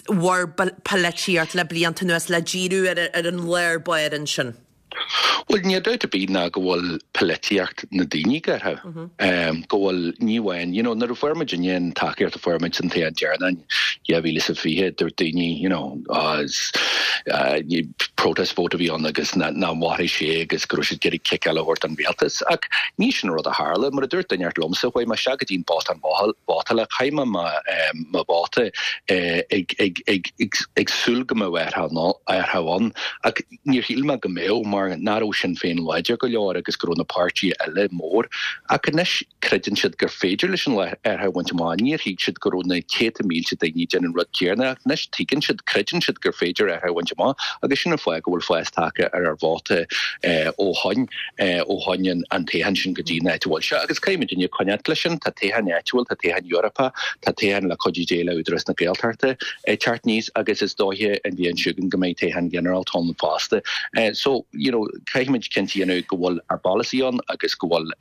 bhur bpolaitíocht le blianta anuas le díriú ar an lár báire ansin? Bhuel, níl dabht ar bith ná go bhfuil polaitíocht na daoine ag athrú. Go bhfuil, ní amháin, you know, nuair a fuair muidinne an tacaíocht a fuair muid san toghchán deireanach in 2020, dúirt daoine, you know, ah, is protest vote a bhí ann agus nach mairfidh sé agus go raibh siad ag iarraidh cic eile a thabhairt don rialtas. Ach ní sin an rud a tharla. Mar a dúirt duine inteacht liomsa, chuaigh mé isteach go dtí an bothán vótála, chaith mé mo vóta ag súil go mbeadh athrú ann. Ach Níor shíl mé go mbeadh, mar nach raibh Sinn Féin láidir go leor agus go raibh na páirtithe eile mór. Ach anois creideann siad gur féidir leis an athrú a bhaint amach. Níor thuig siad go raibh na céadta mílte daoine ag déanamh an rud céanna ach anois tuigeann siad, creideann siad gur féidir athrú a bhaint amach agus sin an fáth go bhfuil fás tagtha ar ár vóta ó shoin, ó shoin an toghchán sin go dtí an áit a bhfuil sé. Agus caithfidh muidinne coinneáilt leis sin. Tá toghchán áitiúil, tá toghchán Eorpach, tá toghchán le cuidiú Dé le Údarás na Gaeltachta. ag teacht aníos agus is dóiche an bhliain seo chugainn go mbeidh toghchán ginearálta ann fosta. So, you know, caithfimid cinnte a dhéanamh go bhfuil ár bpolasaí ann agus go bhfuil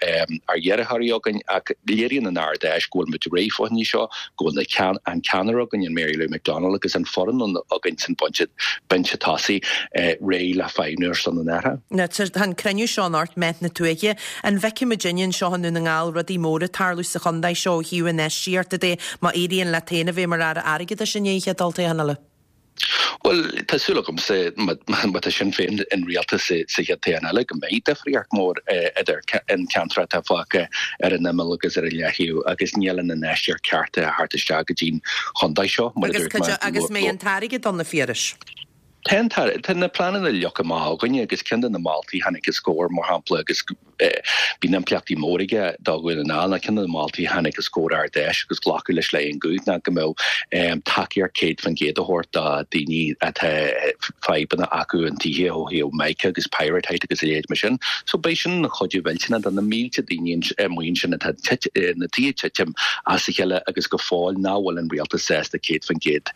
ár iarrthóirí againn ach léiríonn an Ard-Fheis go bhfuil muid réidh fá choinne seo, go bhfuil na ceann, an ceannaire againn, an Mary Lou McDonald agus an foireann againn san binse, binse tosaigh réidh le feidhmiú ar son an athraithe. Now, tá an cruinniú seo anocht, Meath na Tuaithe. An bhfeicfidh muidinne anseo i nDún na nGall rudaí móra ag tarlú sa chontae seo ó thaobh infheistíochta de má éiríonn leat féin a bheith mar Aire Airgeadais i ndiaidh an chéad olltoghchán eile? Bhuel, tá súil agamsa má tá Sinn Féin in rialtas sa chéad toghchán eile go mbeidh difríocht mór idir an ceantar atá fágtha ar an imeall agus ar an leaththaobh agus níl an infheistíocht ceart ag teacht isteach go dtí'n chontae seo, mar a dúirt mé. Agus an mbeidh an t-airgead ann, a Phiarais? Tá an t-airgead, tá na pleananna leagtha amach againne agus ceann de na moltaí a tháinig os comhair, mar shampla, agus bíonn impleachtaí mór aige do Dhún na nGall, ná ceann de na moltaí a tháinig os comhair Ard Fheis agus glacadh leis le aon ghuth ná go mbeadh tacaíocht 100% a thabhairt do daoine atá fadhbanna acu an tithe ó thaobh mica agus pyrrhotite agus a leithéid mar sin. So beidh sin ina chuidiú mhillteanach do na mílte daoine amuigh ansin atá na tithe ag titim as a chéile agus go fóill nach bhfuil an rialtas sásta 100%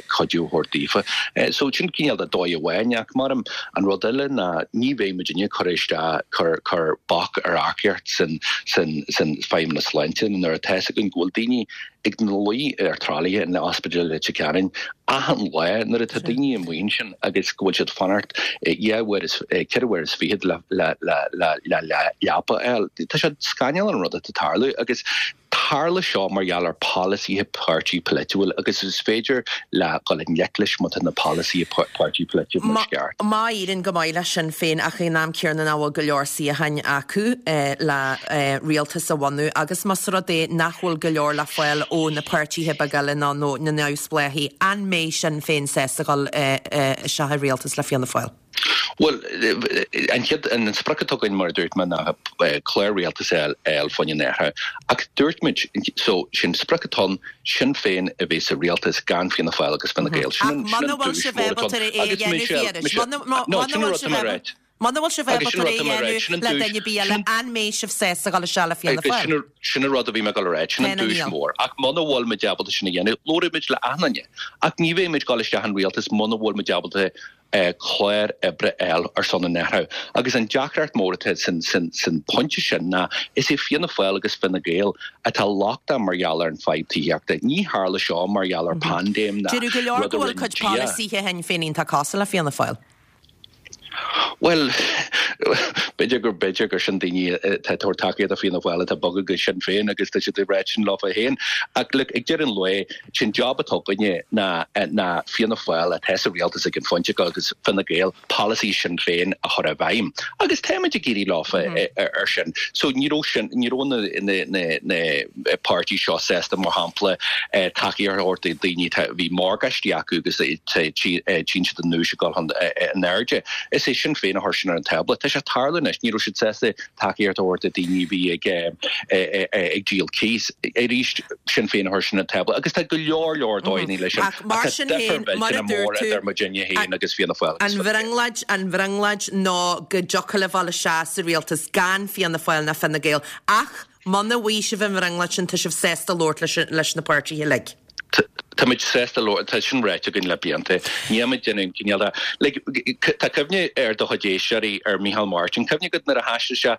cuidiú a thabhairt daofa. So sin cineál de dóigh amháin ach mar an rud eile ná ní bheidh muidinne ag cur isteach, cur, cur bac ar earcaíocht san, san, san Feidhmeannas Sláinte nuair atá fhios againn go bhfuil daoine ag na luí ar tralaithe in Ospidéal Leitir Ceanainn achan lá nuair atá daoine amuigh ansin agus go bhfuil siad fanacht dhá uair is, ceithre uair is fichead le, le, le, le, le leapa a fháil. Tá sé scannalach an rud atá ag tarlú agus Tharla seo mar gheall ar pholasaithe páirtí polaitiúil agus is féidir le dhul i ngleic leis má tá na polasaithe páirtí polaitiúil mar is ceart. Má éiríonn go maith le Sinn Féin ach ag an am céanna nach bhfuil go leor suíocháin acu le rialtas a bhunú agus más rud é nach bhfuil go leor le fáil ó na páirtithe beaga eile ná na neamhspleáchaigh, an mbeidh Sinn Féin sásta dhul isteach i rialtas le Fianna Fáil? Bhuel, an chéad, an sprioc atá againn, mar a dúirt mé, ná clár rialtais a fháil fá choinne an athraithe. Ach dúirt muid, so, sin sprioc atá ann, Sinn Féin a bheith sa rialtas gan Fianna Fáil agus Fine Gael. Sin an, sin an duais mhór atá ann. Agus Michelle, Michelle, no, sin an rud atá mé a ráit. Muna bhfuil sibh ábalta é a dhéanamh le duine ar bith eile, an mbeidh sibh sásta dhul isteach le Fianna Fáil? Sin an rud a bhí mé ag dul a ráit, sin an duais mhór. Ach muna bhfuil muid ábalta sin a dhéanamh, labhróidh muid le achan duine. Ach ní bheidh muid ag dul isteach in rialtas muna bhfuil muid ábalta clár oibre a fháil ar son an athraithe. Agus an deacracht mór atá san pointe sin ná is é Fianna Fáil agus Fine Gael atá lochtach mar gheall ar an fadhb tithíochta. Ní tharla seo mar gheall ar paindéim ná Deireadh go leor rud a go bhfuil rinne cuid Dia. polasaithe Shinn Féin iontach cosúil le Fianna Fáil. Bhuel, b'fhéidir gur b'fhéidir gur sin daoine atá ag tabhairt tacaíocht do Fianna Fáil atá bogtha go Sinn Féin agus tá siad ag ráit sin leofa féin. Ach look, ag deireadh an lae, Sé'n job atá againne ná ná Fianna Fáil atá sa rialtas ag an phointe agus Fine Gael polasaí Sinn Féin a chur i bhfeidhm. Agus táimid ag éirí leofa ar sin. So ní raibh sin, ní raibh na na na na páirtí seo sásta mar shampla tacaíocht a thabhairt do daoine atá bhí morgáistí acu agus tchíonn siad an ús ag dul chun in airde. Is é Sinn Féin a chuir sin ar an tábla. Tá sé ag tarlú anois, ní raibh siad sásta tacaíocht a thabhairt do daoine a bhí ag ag díol cíos. Arís, Sinn Féin a chuir sin ar an tábla agus tá go leor leor dóigheanna leis sin Ach mar sin féin, mar a dúirt tú, idir muidinne féin agus Fianna Fáil agus Fine Gael. An bhrionglóid, an bhrionglóid ná go dtiocfadh libh dul isteach sa rialtas gan Fianna Fáil ná Fine Gael. Ach muna bhfaighidh sibh an bhrionglóid sin tá sibh sásta labhairt leis na páirtithe uilig. Tá muid sásta labhairt, tá sin ráite againn le blianta. Níl muid ag déanamh aon chineál de, like, tá cuimhne ar do chuid éisteoirí ar Micheál Martin, cuimhne agat nuair a thaistil sé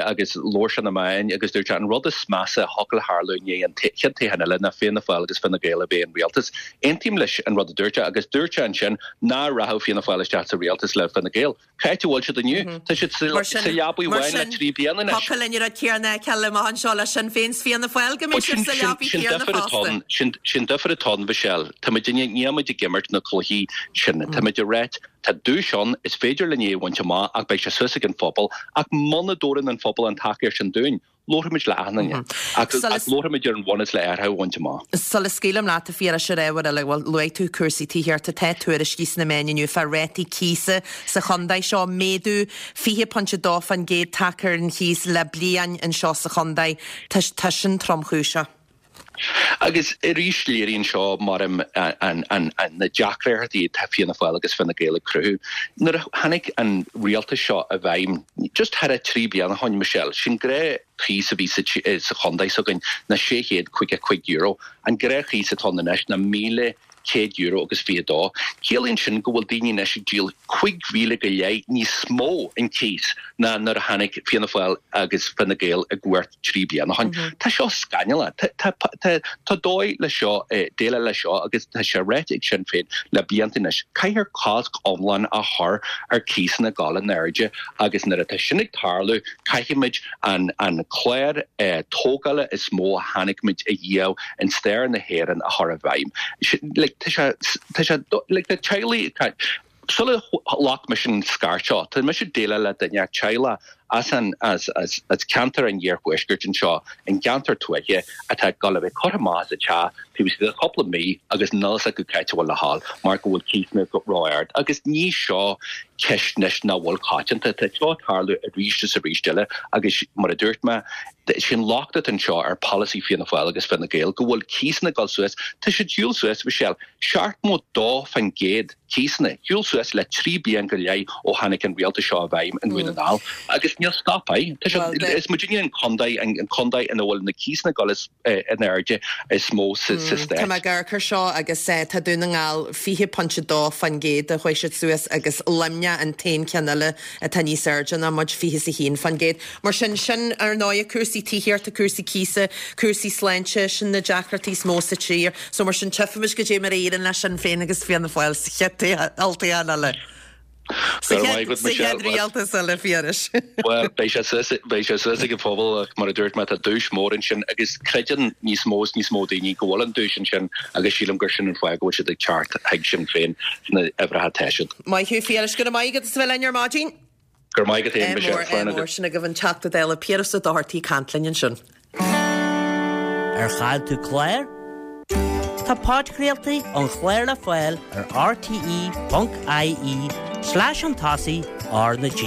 agus labhair sé na meáin agus dúirt sé an rud is measa a thiocfadh le tharlú i ndiaidh an chéad toghchán eile ná Fianna Fáil agus Fine Gael a bheith in rialtas. Aontaím leis an rud a dúirt sé agus dúirt sé ansin ná rachadh Fianna Fáil isteach sa rialtas le Fine Gael. Cá háit a bhfuil siad inniu? Tá siad sa leabaidh bhán le 3 bliana anois. Thiocfadh linn an rud céanna a fheiceáil amach anseo le Sinn Féin 's Fianna Fáil go mbeidh siad sa leabaidh chéanna fosta. Sin difear atá ann, Michelle. Tá muidinne, níl muid ag imirt na cluichí sin. Tá muid ag ráit, tá duais ann, is féidir linn é a bhaint amach ach beidh sé suas ag an phobal ach muna dtabharann an phobal an tacaíocht sin dúinn, Labharfaimid le achan duine. Ach labharfaimid ar an bhunús le athrú a bhaint amach. Sula scaoilim leat, a Phiarais, ar ábhar eile, bhuel, luaigh tú cúrsaí tithíochta, tá tuairiscí sna meáin inniu fá rátaí cíosa sa chontae seo, méadú 20.2% tagtha ar an chíos le bliain anseo sa chontae. Tá sin tromchúiseach. Agus arís léiríonn seo maram na deacrachtaí atá Fianna Fáil agus Fine Gael ag cruthú. Nuair a tháinig an rialtas seo i bhfeidhm, just thar a 3 bliana ó shoin, Michelle, sé'n gnáth-chíos a bhí sa chontae s'againn ná €655. An gnáth-chíos atá ann anois ná €1,100 agus 22. Ciallaíonn sin go bhfuil daoine anois ag díol 5,000 go leith níos mó in cíos ná nuair a tháinig Fianna Fáil agus Fine Gael i gcumhacht 3 bliana ó shoin. Tá seo scannalach. Tá dóigh le seo, déileáil le seo agus tá sé ráite ag Sinn Féin le blianta anois. Caithfear cosc iomlán a chur ar cíosanna dul in airde agus nuair atá sin ag tarlú caithfimid an an clár tógála is mó a chonaic muid ariamh in stair na hÉireann a chur i bhfeidhm. Like, tá sé, tá sé, like, tá teaghlaigh, tá, sula ghlac mise an scairt seo, tá mise ag déileáil le duine, teaghlach as an, as, as, as ceantar an iarthuaiscirt anseo, an gceantar tuaithe, atá ag dul a bheith curtha amach as a teach taobh istigh de chúpla mí agus níl fhios acu cá háit a bhfuil le dhul mar go bhfuil cíosanna ró-ard. Agus ní seo ceist anois nach bhfuil coitianta. Tá seo ag tarlú arís is arís eile agus mar a dúirt mé, sin locht atá anseo ar pholasaí Fianna Fáil agus Fine Gael go bhfuil cíosanna ag dul suas. Tá siad shiúl suas, Michelle, 72% cíosanna, shiúl suas le 3 bliain go leith ó tháinig an rialtas seo i bhfeidhm i nDún na nGall agus níl stop air. Tá sé, is muidinne an contae, an contae ina bhfuil na cíosanna ag dul is in airde is mó sa stát. Tá mé ag amharc air seo agus tá Dún na nGall 20.2% a chuaigh siad suas agus Luimneach an t-aon cheann eile atá níos airde ná muid, 21%. Mar sin, sin ar ndóighe cúrsaí tithíochta, cúrsaí cíosa, cúrsaí sláinte, sin na deacrachtaí is mó sa tír. So mar sin, tchífimid goidé mar a éiríonn le Sinn Féin agus Fianna Fáil sa chéad olltoghchán eile. Sa chéad rialtas eile, Phiarais. Bhuel, beidh sé suas, beidh sé suas ag an phobal ach mar a dúirt mé, tá duais mhór ansin agus creideann níos mó is níos mó daoine go bhfuil an duais ansin agus sílim gur sin an fáth go bhfuil siad ag teacht chuig Sinn Féin sna uimhreacha atá siad. Maith thú, Phiarais. Go raibh maith agat as a bheith linn ar maidin. Go raibh maith agat féin, Michelle. Slán agat. Sin agaibh an Teachta Dála Piaras Ó Dochartaigh ag caint linn ansin. Ar chaill tú clár? Tá podchraoltaí an chláir le fáil ar rte.ie slash chun tosaigh R na G.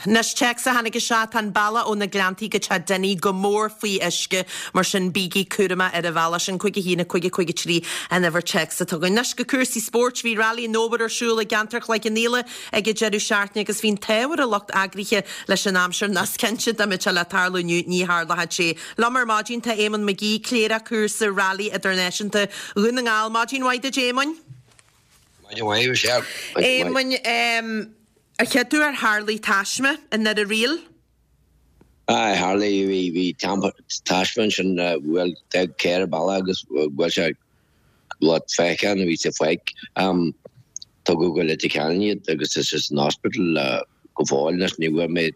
Anois téacs a tháinig isteach, tá an bealach ó na Gleanntaí go Teach Dinny go mór faoi uisce, mar sin bígí cúramach ar an bhealach sin. 5 1 5 5 3 an uimhir téacs atá againn. Anois go cúrsaí spóirt, bhí Railí an Fhómhair ar siúl i gceantar Chloich Cheann Fhaola ag an deireadh seachtaine agus bhí an t-ádh ar an lucht eagraithe leis an aimsir nach cinnte dá mbeadh sé le tarlú inniu ní tharlódh sé. Liom ar maidin tá Éamonn McGee, Cléireach Cúrsa Railí Idirnáisiúnta Dhún na nGall. Maidin mhaith duit Éamoinn. Maidin mhaith, Michelle. Éamoinn, ar cheap tú ar tharlaigh taisme i nDoire Ríl? Aye, tharlaigh, bhí, bhí taisme ansin, bhuel, d'fhág carr an bealach agus bhuail sé lucht féachana a bhí sa pháirc. Tugadh go Leitir Ceanainn iad agus tá siad san hospital go fóill anois. Ní bhfuair mé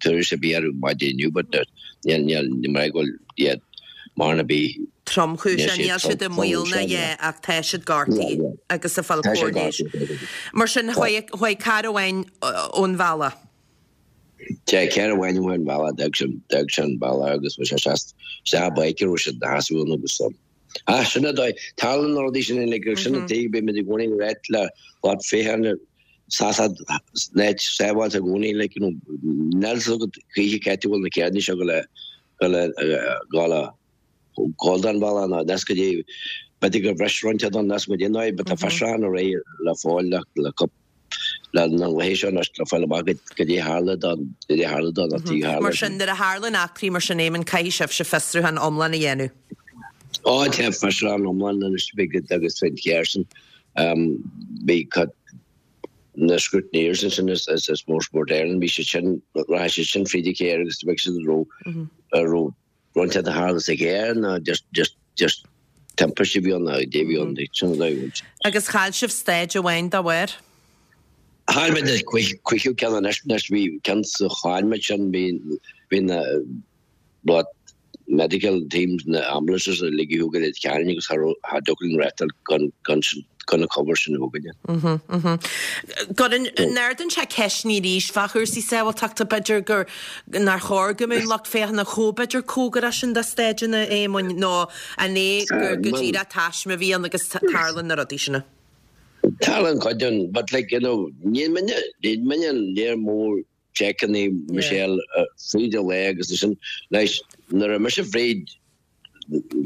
tuairisc ar bith orthu maidin inniu but níl, níl, ní mar go bhfuil iad marbh ar bith. Tromchúiseach, níl siad i mbaol ná a dhath ach tá siad gortaithe agus ag fáil cóir leighis. Mar sin, chuaigh carr amháin ón bhealach. Tá carr amháin ón bhealach, d'fhág sé an bealach agus bhí sé isteach i bpáirc a raibh siad ina sheasamh ann agus ah sin an dóigh, tarlaíonn na rudaí sin uilig agus sin an tuige bímid i gcónaí ag ráit le lucht féachana seasamh in áit sábháilte i gcónaí like you know níl fhios agat choíche cá háit a bhfuil na carranna seo go le go le go le gabháil den bhealach nó níos go dtí b'fhéidir gur bhris roinnt den níos go dtí nó but tá fiosrúchán ar aghaidh le fáil le le le na laethe seo anois le fáil amach goidé tharla don goidé tharla don an tí tharla. Mar sin, nuair a tharlaíonn eachtraí mar sin, Éamonn, caithfidh sibhse fiosrúchán iomlán a dhéanamh. Ó tá fiosrúchán iomlán anois agus faoin cheist sin bhí na scrutineers ansin as Motorsport Ireland bhí siad sin rachaidh siad sin fríd an charr agus beidh siad raibh raibh rud inteacht a tharla sa charr nó just just just timpiste a bhí ann nó dé bhí ann sin an dóigh a bhfuil. Agus chaill sibh stáid amháin dá bharr? Chaill muid an cúigiú ceann anois anois bhí ceann sa chaill muid sin bhí bhí na But medical teams na ambulances uilig a thug iad cheana agus cha raibh, cha dtiocfadh linn reáchtáil gan, gan sin, gan an cover sin a thógaint. Go n-ardaíonn sé ceisteanna arís fá chúrsaí sábháilteachta, b'fhéidir gur, nár chóir go mbeadh an lucht féachana chomh b'fhéidir cóngarach sin do staideanna, a Éamoinn, nó an é gur go díreach taisme a bhí ann agus tarlaíonn na rudaí sin? Tarlaíonn cuid den, but like, you know, níl muidne, níl muidne léir mór seiceanna Michelle fríd an lae agus ansin leis nuair a mise fríd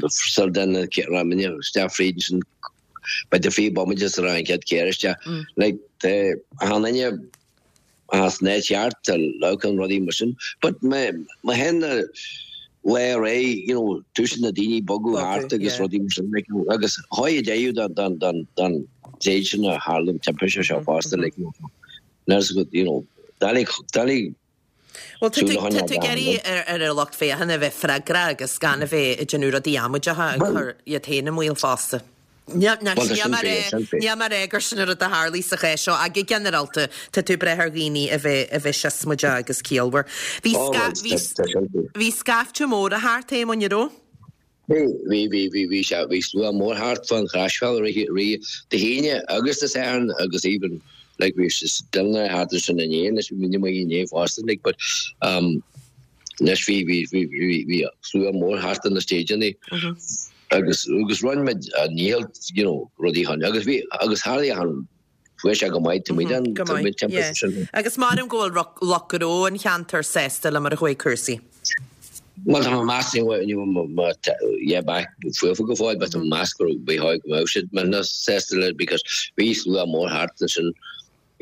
sar den raibh mine isteach fríd ansin b'fhéidir 20 bomaite sar an chéad carr isteach like tá achan duine as an áit cheart tá leabhcán rudaí mar sin but má má théann na lá ar aghaidh you know tosaíonn na daoine bogadh thart agus rudaí mar sin like agus chuaigh deireadh don don don don téid sin a tharla an timpiste seo fosta like you know. Nurse go, you know, doiligh, doiligh Bhuel, tá tú, tá tú ag iarraidh ar, ar an lucht féachana a bheith freagrach agus gan a bheith ag déanamh rudaí amaideacha ag cur iad féin i mbaol fosta. Níl, níl, Bhuel, tá níl sin mé fíor, ag sin rá, fíor. níl mé ag rá gur sin an rud a tharlaigh sa chás seo ach go ginearálta tá tú ag brath ar dhaoine a bheith, a bheith siosmaideach agus ciallmhar. Bhí Ó, sca, bhuel, bhí, tá, tá sin fíor. bhí scaifte mór thart, a Éamoinn, an raibh? Bhí, bhí, bhí, bhí, bhí sé, bhí slua mór thart fán Chroisbhealach rith, rith Dé hAoine agus Dé Sathairn agus even like bhí daoine thart ansin inné anois bhí muid amuigh inné fosta like but um anois bhí, bhí, bhí, bhí, bhí slua mór thart ar na stéideanna agus, agus rinne muid ár ndícheall you know rudaí chun agus bhí, agus tharlaigh achan Fuair sé go maith, tá muid an, Go tá maith, muid timpeall yeah. sin. Agus maram go bhfuil lucht gnó an cheantair sásta le mar a chuaigh cúrsaí. Bhuel, tá mé ag meas, ní bhfuil mé, yeah, back faofa go fóill, but tá mé ag meas go raibh, bhí go mbeadh siad millteanach sásta le, because bhí slua mór thart ansin.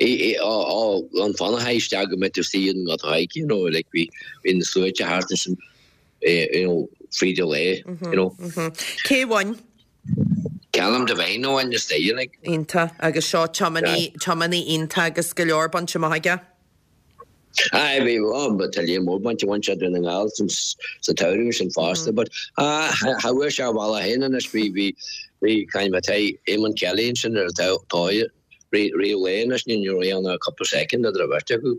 Ó, ó, an fanacha isteach go mbeidh tú istigh in Gort Thaidhg, you know, like bhí, bhí na sluaite thart ansin, you know, fríd an lae, you know. Cé bhain? Callum Devine a bhain istigh like. Iontach. Agus seo tiománaí, tiománaí iontach agus go leor bainte amach aige. Aye, bhí, oh, but tá lear mór bainte, bhain sé Dún na nGall san, sa tsamhradh sin fosta, but ah, cha bhfuair sé a bhealach féin anois, bhí, bhí, bhí, caint mé, tá Eamon Kelly ansin ar an taobh, Rith an lae anois ní raibh ann ach cúpla soicind idir an bheirt acu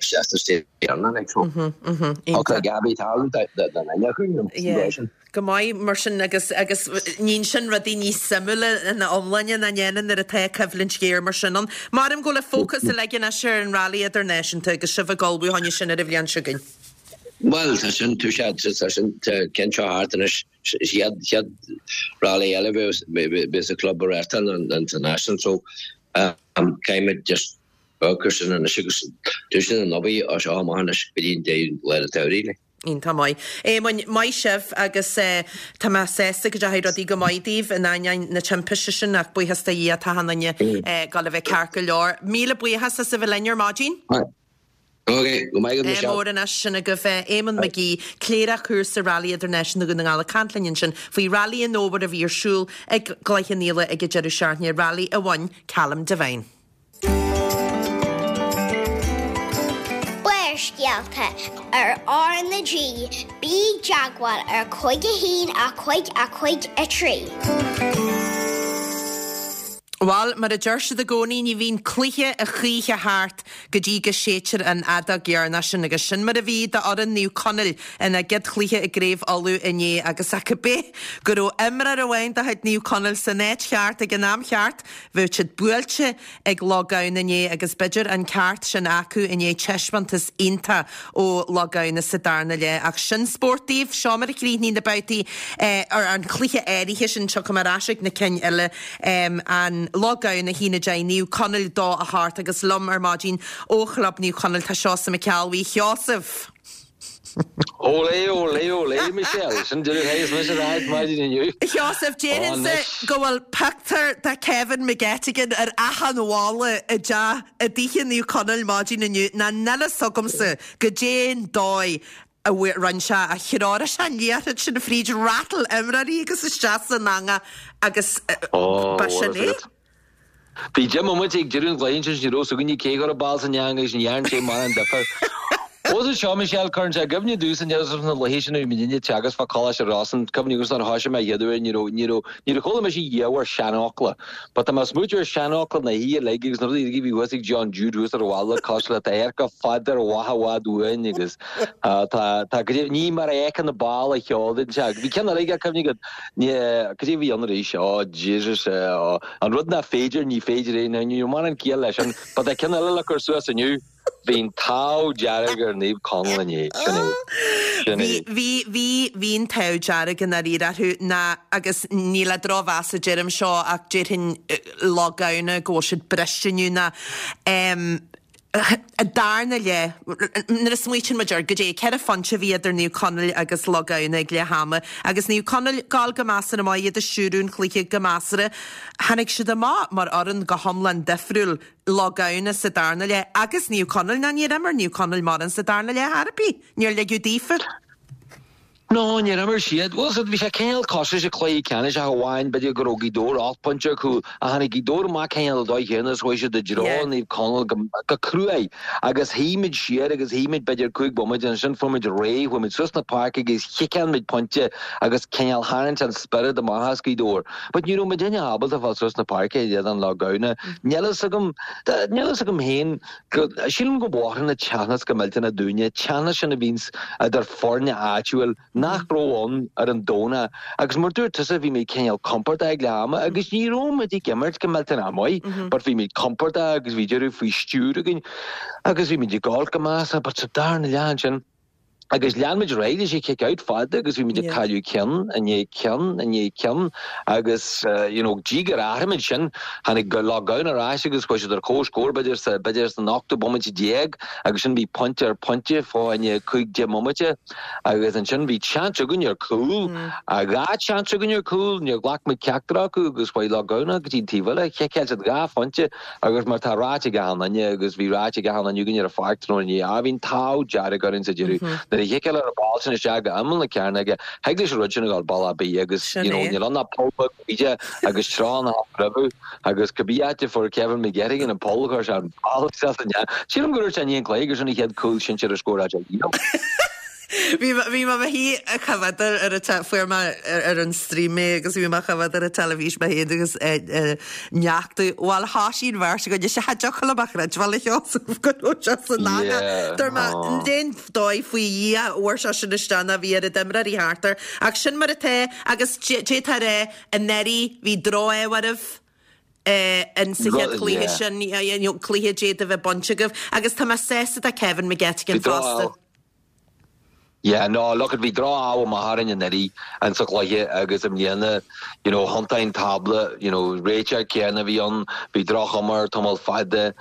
isteach sa stéireanna like so. Thug Gabby tallann don duine acu you know sin é sin. Go maith mar sin agus agus níonn sin rudaí níos suimiúla ina iomláine ná ndéanann nuair atá coimhlint ghéar mar sin ann. Maram go bhfuil an fócas uilig anois ar an Rally Idirnáisiúnta agus sibh ag ullmhú fá choinne sin ar an bhliain seo chugainn. Bhuel tá sin tú sé tá sin tá ceann seo thart anois chéad chéad rally eile bheas an club a reáchtáil an International so um, caithfimid just amharc air sin anois agus tosaíonn an obair as seo amach anois go dtí an deireadh lá an tsamhraidh. Like. Iontach maith. Éamoinn, maith sibh agus tá mé sásta go dteachaigh rudaí go maith daoibh in ainneoin na timpiste sin ach buíochas do Dhia tá achan duine ag gabháil a bheith ceart go leor. Míle buíochas as a bheith linn ar maidin. Ok, go maith agat Ádh Michelle. mór anois sin agaibh Éamonn McGee, Cléireach Chúrsa Railí Idirnáisiúnta Dhún na nGall ag caint linn ansin faoi Railí an Fhómhair a bhí ar siúl ag Cloich Cheann Fhaola ag an deireadh seachtaine, Railí a bhain Callum Devine. Barrscéalta ar R na G, bí i dteagmháil ar 5 1 5 5 3. Bhal, mar a deir siad i gcónaí, ní bhíonn cluiche a choíche thart go dtí go séidtear an fheadóg dheireanach sin agus sin mar a bhí d'fhoireann Naomh Conaill ina gcéad chluiche i gCraobh Uladh inné agus ach cibé go raibh imreoir amháin de chuid Naomh Conaill san áit cheart ag an am cheart, bheadh siad buailte ag Loch Gabhann inné agus b'fhéidir an ceart sin acu i ndiaidh taispeántas iontach ó Loch Gabhann sa darna leath. Ach sin spórt daoibh. Seo mar a chríochnaigh na babhtaí ar an chluiche áirithe sin. Tiocfaidh mé ar ais ag na cinn eile. An Loch Gabhann 1 10, Naomh Conaill 2 8 agus liom ar maidin ó Chlub Naomh Conaill tá Seosamh Mac Ceallbhuí. Sheosamh! Olé, olé, olé, Michelle. Sin deireadh thaghas mise ar ais maidin inniu. A Sheosaimh, déarfainnse go bhfuil pictiúr de Kevin McGettigan ar achan bhalla i dteach i dtithe Naomh Conaill maidin inniu, ná níl fhios agamsa goidé an dóigh. A rinne sé, a threoraigh sé an liathróid sin fríd rattle imreoirí agus isteach san eangach agus ba sin é. Bhí deich mbomaite ag deireadh an chluiche ansin ní raibh 's againne cé chuir an ball san eangach agus ní dhearn sé mórán difear. Bhuel is seo Michelle, cuireann sé i gcuimhne domhsa na laetha sin a bhí muidinne ag teagasc fá Choláiste Rosann, cuimhne agamsa nuair a thoisigh mé an chéad uair ní raibh, ní raibh, ní raibh chuala mise riamh ar seanfhocla. But tá mé ag smaoitiú ar seanfhocla na hoíche uilig agus na rudaí uilig a bhí thuas ag John Jude thuas ar an bhalla cosúil le adharca fada ar mhaith i bhfad uainn agus tá, tá, go dtí, ní mar a fheiceann na ball a cheol den teach. Bhí ceann eile aige, cuimhne agat, ní, cad é a bhí ann arís, oh Jesus, an rud nach féidir, ní féidir é, ní raibh mórán ciall leis sin, but tá ceann eile le cur suas inniu. Bhí an t-ádh dearg ar Naomh Conaill inné. Sin é. Sin é. Bhí, bhí, bhí an t-ádh dearg i ndáiríre orthu ná, agus ní le drochmheas a deirim seo ach déarfainn Loch Gamhna go bhfuil siad briste inniu ná em an darna leath, nuair a smaoitíonn muid air, goidé, 4 phointe a bhí idir Naomh Conaill agus Loch Gamhna ag leath ama agus Naomh Conaill ag gabháil go measartha maith, iad ag stiúradh an chluiche go measartha. Tháinig siad amach mar fhoireann go hiomlán difriúil. Loch Gamhna sa darna leath agus Naomh Conaill, ná níor imir Naomh Conaill mórán sa darna leath ar bith. Níor ligeadh daofa. No, níor imir siad. Bhuel, so bhí sé cineál cosúil leis an cluiche ceannais ach amháin b'fhéidir go raibh Gaoth Dobhair 8 bpointe ar chúl ach tháinig Gaoth Dobhair amach cineál an dóigh chéanna is chuaigh siad i dtreo Yeah. Naomh Conaill go, go cruaidh agus shuigh muid siar agus shuigh muid b'fhéidir 5 bomaite ansin fuair muid réidh, chuaigh muid suas na páirce agus chiceáil muid pointe agus cineál tharraing an spiorad amach as Gaoth Dobhair. But ní raibh muidinne ábalta fáil suas na páirce in éadan Loch Gamhna. Níl fhios agam, níl fhios agam féin, sílim go mothaíonn an teannas go millteanach dúinne, teannas sin a bhíonns idir foirne áitiúil nach raibh ann ar an Domhnach. Agus mar dúirt tusa, bhí muid cineál compordach ag leath ama agus ní raibh muid ag imirt go millteanach maith, but bhí muid compordach agus bhí deireadh faoi stiúir againn agus bhí muid ag gabháil go measartha, but sa darna leath ansin, Agus lean muid ar aghaidh leis an kick out fada agus bhí muid ag cailleadh ceann i ndiaidh ceann i ndiaidh ceann agus you know dtí gur athraigh muid sin tháinig Loch Gamhna ar ais agus chuaigh siad ar comhscór b'fhéidir sa b'fhéidir san ochtú bomaite déag agus sin bhí pointe ar pointe fá choinne 5 10 mbomaite agus ansin bhí seans againn ar cúl dhá sheans againn ar cúl níor ghlac muid ceachtar acu agus chuaigh Loch Gamhna go dtí an taobh eile chiceáil siad dhá phointe Agus mar tá ráite ag achan duine, agus bhí ráite ag achan duine againn ar an pháirc tráthnóna inné, ah, bhí an t-ádh dearg orainn sa deireadh. Nuair a chiceáil an ball sin isteach go imeall na cearnóige, thig leis an rud sin a dhul bealach ar bith agus, you know, níl ann ach poll beag bíde agus treo na roimhe agus cibé áit a fuair Kevin McGettigan an poll chuir sé an ball isteach san nead. Sílim gur dúirt sé i ndiaidh an chluiche gur sin an chéad cúl sinsir a scóráil sé riamh. Bhí mé i mo shuí ag coimhéad ar an fuair mé ar an stream é agus bhí mé ag coimhéad ar an teilifís mé féin agus neachtú bhuel thoisigh an bheirt againn is cha dtiocfadh liom a chreidbheáil a Sheosaimh go raibh sé san eangach. Dúirt mé cén dóigh faoi Dhia a bhfuair sé sin isteach ná bhí oiread imreoirí thart air ach sin mar atá agus d'fhéadfá a rá anuraidh bhí droch-ádh oraibh in sa chéad chluiche sin cluiche a d'fhéadfadh a bheith bainte agaibh agus tá mé sásta do Kevin McGettigan fosta. Yeah, no, look, bhí droch-ádh amach orainn anuraidh in sa chluiche agus i mbliana, you know, thiontaigh an tábla, you know, réiteoir céanna a bhí ann, bhí droch-chuma air tamall fada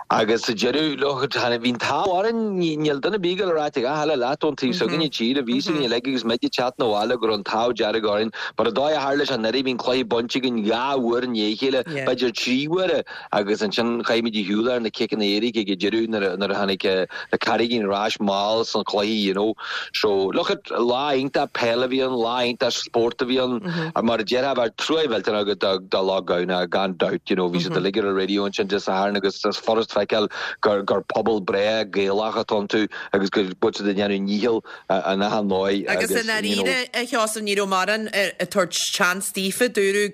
agus sa deireadh, look, tháinig, bhí an t-ádh orainn, níl duine ar bith ag dul a ráit a dhath eile leat ón taobh s'againne tíre, bhí fhios againn uilig agus muid ag teacht 'na bhaile go raibh an t-ádh dearg orainn, but an dóigh a tharla sé anuraidh, bhí an cluiche bainte againn dhá uair i ndiaidh a chéile, b'fhéidir trí huaire. Agus ansin chaith muid ar shiúl ar na ciceanna éirice ag an deireadh nuair a nuair a tháinig na Carraigín ar ais mall san chluiche you know. So look at lá iontach peile a bhí ann, lá iontach spórt a bhí ann. Mar a déarfá bheadh trua mhillteanach agat do do Loch Gamhna gan dabht you know. Bhí siad uilig ar an raidió ansin Dé Sathairn agus is furast feiceáil gur gur pobal breá Gaelach atá iontu agus go bhfuil siad ag déanamh ndícheall in achan ndóigh Agus i ndáiríre, a Sheosaimh, ní raibh mórán ag tabhairt seans daofa. Dúradh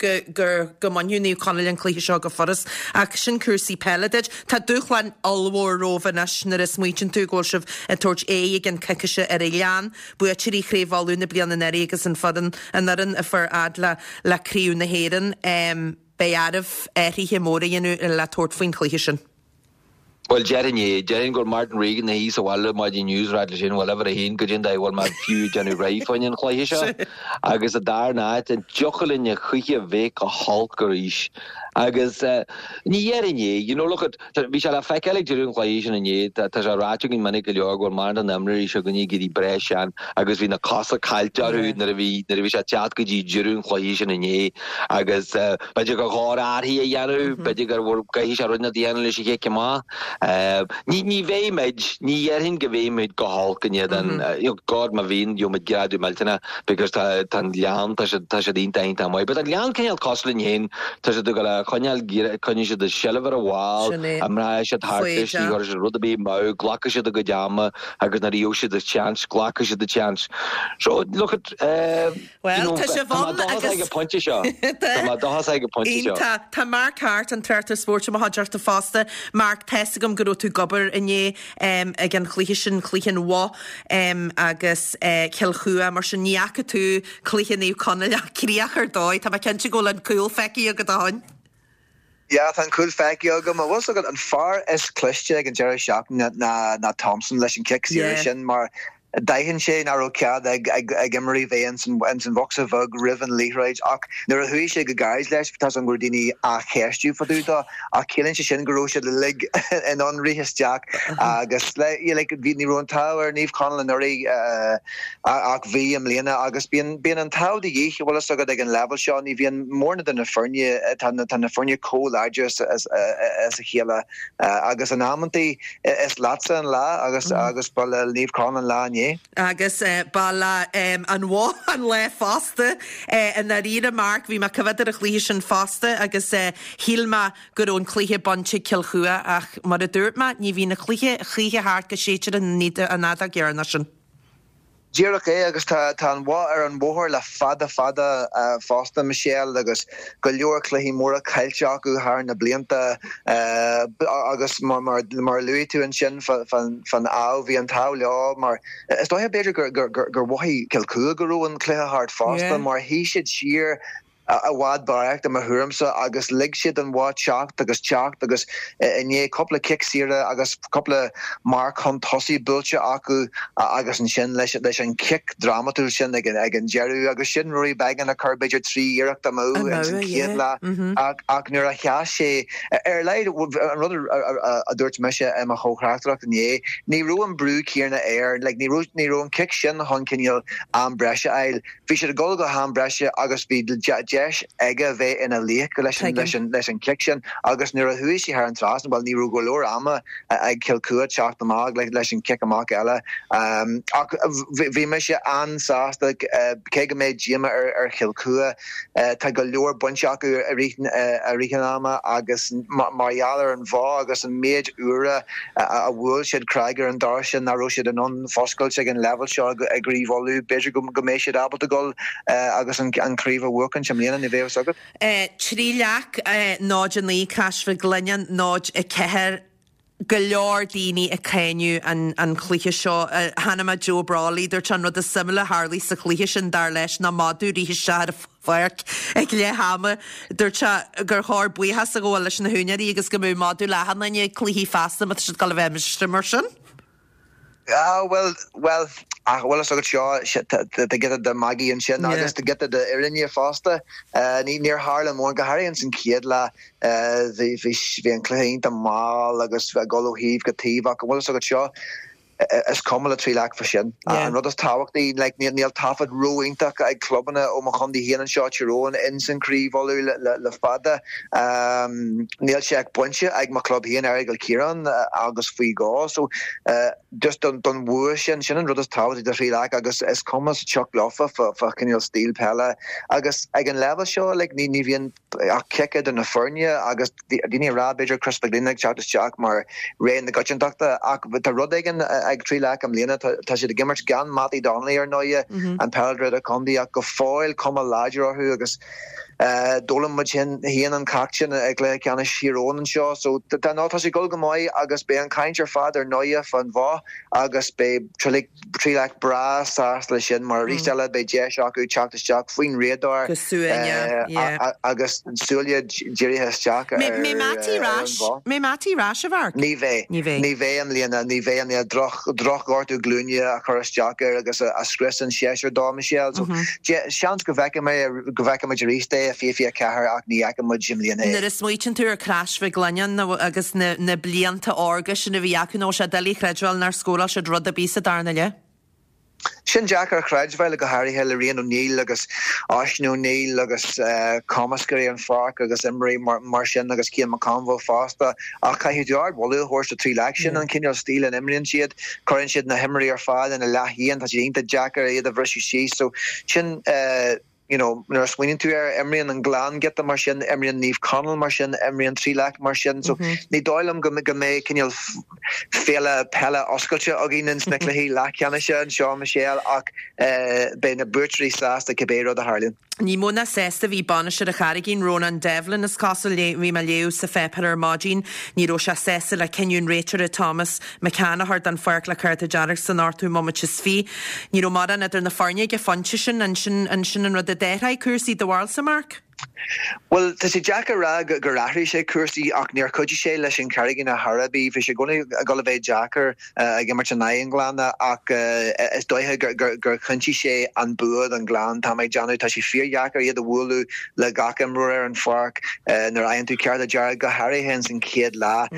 go mbainfeadh Naomh Conaill an cluiche seo go furast. Ach sin cúrsaí peile duit. Tá dúshlán ollmhór romhaibh anois nuair a smaoitíonn tú go bhfuil sibh ag tabhairt aghaidh i gceann coicíse ar Oileán, buaiteoirí Chraobh Uladh na bliana anuraidh agus an foireann an fhoireann a fuair fhad le Craobh na hÉireann. Beidh oraibh athruithe móra a dhéanamh le tabhairt faoin chluiche sin. Bhuel, déarfainn é. Déarfainn go bhfuil Martin Regan ina shuí sa bhaile maidin inniu is ag ráit leis féin, bhuel, uimhir a haon, goidé an dóigh a bhfuil mé fiú ag déanamh réidh fá choinne an chluiche seo. Agus sa dara háit, an dtiocfadh linn a choíche bheith go holc arís. Agus ní dhéarfainn é, you know, look at, bhí sé le feiceáil ag deireadh an chluiche sin inné, tá sé ráite againn minic go leor go bhfuil mórán de na himreoirí seo againne ag éirí breá sean agus bhí na cosa caillte orthu nuair a bhí, nuair a bhí sé ag teacht go dtí deireadh an chluiche sin inné agus b'fhéidir gur chóir athruithe a dhéanamh, b'fhéidir gur gcaithfidh sé rud inteacht a dhéanamh leis an chic amach. Ní, ní bheidh muid, ní dhéarfainn go mbeidh muid go holc in éadan, you know, God má bhíonn, gheobhaidh muid greadadh millteanach because tá, tá an Gleann, tá siad, tá siad iontach, iontach maith. But an Gleann cineál cosúil linn féin, tá siad ag dul a choinneáil, coinneoidh siad a seilbh ar an bhall, Sin é. imreoidh siad thart leis, ní Foighdeach. chuirfidh siad rud ar bith amú, glacfaidh siad a gcuid ama agus nuair a gheobhaidh siad a chance, glacfaidh siad a chance. So, look at, eh, Bhuel, tá sibh Tá ann mé dóchasach agus ag an phointe seo. Tá mé dóchasach ag an phointe seo. Iontach. Tá Mark Harte, an tráchtaire spóirt i mo chuideachta fosta. Mark, tá's agam go raibh tú ag obair inné ag an chluiche sin, cluiche an Bhoth agus Cill Chua, mar sin ní fhaca tú cluiche Naomh Conaill ach críoch ar dóigh. Tá mé cinnte go bhfuil an cúl feicthe agat ó shin. Yeah, tá an cúl feicthe agam. An bhfuil 's agat, an fear is cliste ag an deireadh seachtaine ná ná Thompson leis an cic saoire Yeah. sin mar d'aithin sé nach raibh cead ag ag ag imreoirí bheith ins an ins an bhocsa bheag roimh an liathróid ach nuair a chuaigh sé go gairid leis tá's agam go raibh daoine á cheistiú fá dtaobh dó ach ciallaíonn sé sin go raibh siad uilig in ann rith isteach agus le yeah, like bhí ní raibh an t-ádh ar Naomh Conaill anuraidh eh, ach bhí i mbliana agus bíonn bíonn an t-ádh de dhíth, bhfuil fhios agat, ag an leibhéal seo, ní bhíonn mórán de na foirne, tá na tá na foirne chomh láidir as as as a chéile agus in amantaí is leatsa an lá agus agus ba le Naomh Conaill an lá inné. Agus ba le an Bhoth an lá fosta i ndáiríre Mark, bhí mé ag coimhéad ar an chluiche sin fosta agus shíl mé go raibh an cluiche bainte ag Cill Chua ach mar a dúirt mé, ní bhíonn an cluiche choíche thart go séidtear an fheadóg dheireanach sin. Díreach é, agus tá an Bhoth ar an bhóthar le fada fada fosta, Michelle, agus go leor cluichí móra caillte acu thar na blianta agus mar a luaigh tú ansin fán ádh, bhí an t-ádh leo mar is dóiche b'fhéidir gur mhothaigh Cill Chua go raibh an cluiche thart fosta mar shuigh siad siar i bhfad barraíocht i mo thuairimse agus lig siad don Bhoth teacht agus teacht agus i ndiaidh cúpla cic saoire agus cúpla marc chun tosaigh buailte acu agus ansin leis leis an chic drámatúil sin ag ag an deireadh agus sin Rory Beggan a chuir b'fhéidir 3 iarracht amú ins an chéad leath ach ach nuair a sheas sé ar a laghad an rud a dúirt mise i mo chomh-thráchtaireacht inné ní raibh an brú céanna air like ní raibh ní raibh an cic sin chun cineál am breise a fháil Bhí siad ag dul go ham breise agus bhí deis aige bheith ina laoch leis an leis an chic sin agus nuair a chuaigh sé thar an trasnán, bhuel ní raibh go leor ama ag Cill Chua teacht amach leis an chic amach eile. Ach bhí mise an-sásta cé go mbeidh díoma ar Chill Chua, tá go leor bainte acu i rith i rith an ama agus mar gheall ar an Bhoth agus an méid uaire a bhuail siad craig ar an doras sin nach raibh siad in ann foscailt ag an leibhéal seo i gCraobh Uladh. B'fhéidir go mbeidh siad ábalta dul agus an chraobh a bhuachaint i mbliana, ní bheidh a fhios agat. 3 Leac, 0, 9, Cais Mhic Lionnáin, 0, 4. Go leor daoine ag cáineadh an chluiche seo. Chonaic mé Joe Brolly, dúirt sé an rud is suimiúla a tharlaigh sa chluiche sin, dar leis, ná madadh rith isteach ar an pháirc ag leath ama. Dúirt sé gur chóir buíochas a ghabháil leis na húinéirí agus go mbeadh madadh le achan duine ag cluichí feasta má tá siad ag dul a bheith amaisteach mar sin. Ah bhuel, bhuel, ach bhfuil fhios agat seo, tá giota de mhagaidh ansin agus tá giota de fhírinne fosta. Ní, níor tharla mórán, go háirithe ins an chéad leath, bhí, bhí, bhí an cluiche iontach mall agus ag dul ó thaobh go taobh ach an bhfuil fhios agat seo, is cuma le Trí Leac fá sin. An rud is tábhachtaí, like, níl taifead ró-iontach ag clubanna ó mo chontae féin anseo, Tír Eoghain, ins an Chraobh Uladh le fada. Níl sé ach bainte ag mo chlub féin, Aireagal Ciaráin, agus faoi dhó. So, just don bhua sin, sin an rud is tábhachtaí do Thrí Leac agus is cuma sa tsioc leofa fá chineál stíl peile. Agus ag an leibhéal seo, like, ní bhíonn ach cic idir na foirne agus daoine ag rá b'fhéidir Chris Mac Grianna ag teacht isteach mar ré na coitiantachta ach tá rud éigin ag Trí Leac i mbliana, tá siad ag imirt gan Mattie Donnelly ar ndóighe, an peileadóir idirchontae ach go fóill cuma láidir orthu agus d'fhoghlaim muid féin an ceacht sin i gcluiche ceannais Thír Eoghain anseo so tá no tá sé ag dul go maith agus beidh an chaint ar fad ar ndóighe fán Bhoth agus beidh Trí Leac breá sásta leis sin mar arís eile beidh deis acu teacht isteach faoin radar Go suaimhneach, yeah. agus súile dírithe isteach ar Mbeidh Mattie ar an Bhoth. Mbeidh Mattie ar ais, a Mharc? Ní bheidh. Ní bheidh. Ní bheidh i mbliana. Ní bheidh i mbliana. Droch, drochghortú glúine a chuir isteach air agus a scrios an séasúr dó, Michelle. So, seans go bhfeicfidh mé, go bhfeicfimid arís é. é i 2024 ach ní fheicfidh muid i mbliana é. Nuair a smaoitíonn tú ar Crois Mhic Lionnáin agus na blianta órga sin a bhí acu, nach bhfuil sé doiligh a chreidbheáil nár scóráil siad rud ar bith sa darna leath. Sin deacair a chreidbheáil, go háirithe le Rian O'Neill agus Oisín O'Neill agus cumascairí an pháirc agus imreoirí mar sin agus Cian McConville fosta. Ach caithfidh tú ardmholadh a thabhairt do Thrí Leic. Sin an cineál stíl a n-imríonn siad. Cuireann siad na himreoirí ar fad ina leath-dhíon. Tá siad iontach deacair iad a bhriseadh síos. So sin you know, nuair a smaoiníonn tú air, imríonn an Gleann giota mar sin, imríonn Naomh Conaill mar sin, imríonn Tríleac mar sin. So ní dóigh liom go go mbeidh cineál féile peile oscailte againn ins na cluichí leathcheannais anseo, Michelle, ach beidh na buaiteoirí sásta cibé rud a tharlaíonn. Ní mó ná sásta a bhí bainisteoir an Charraigín, Rónán Devlin, is cosúil. Bhí mé ag léamh sa pháipéar ar maidin. Ní raibh sé sásta le cinneadh an réiteora Thomas McCann a chur den pháirc le cárta dearg san ochtú bomaite is 20. Ní raibh mórán idir na foirne ag an phointe sin. An sin an sin an rud a d'athraigh cúrsaí do bharúilsa, Mark? Bhuel, tá sé deacair a rá gur athraigh sé cúrsaí ach níor chuidigh sé leis an Charraigín ar chor ar bith. Bhí sé i gcónaí ag dul a bheith deacair ag imirt in aghaidh an Ghleanna ach is dóiche gur chinntigh sé an bua don Ghleann, tá mé ag déanamh. Tá sé fíordheacair iad a bhualadh le gach imreoir ar an pháirc nuair a fhaigheann tú cárta dearg, go háirithe ins an chéad leath.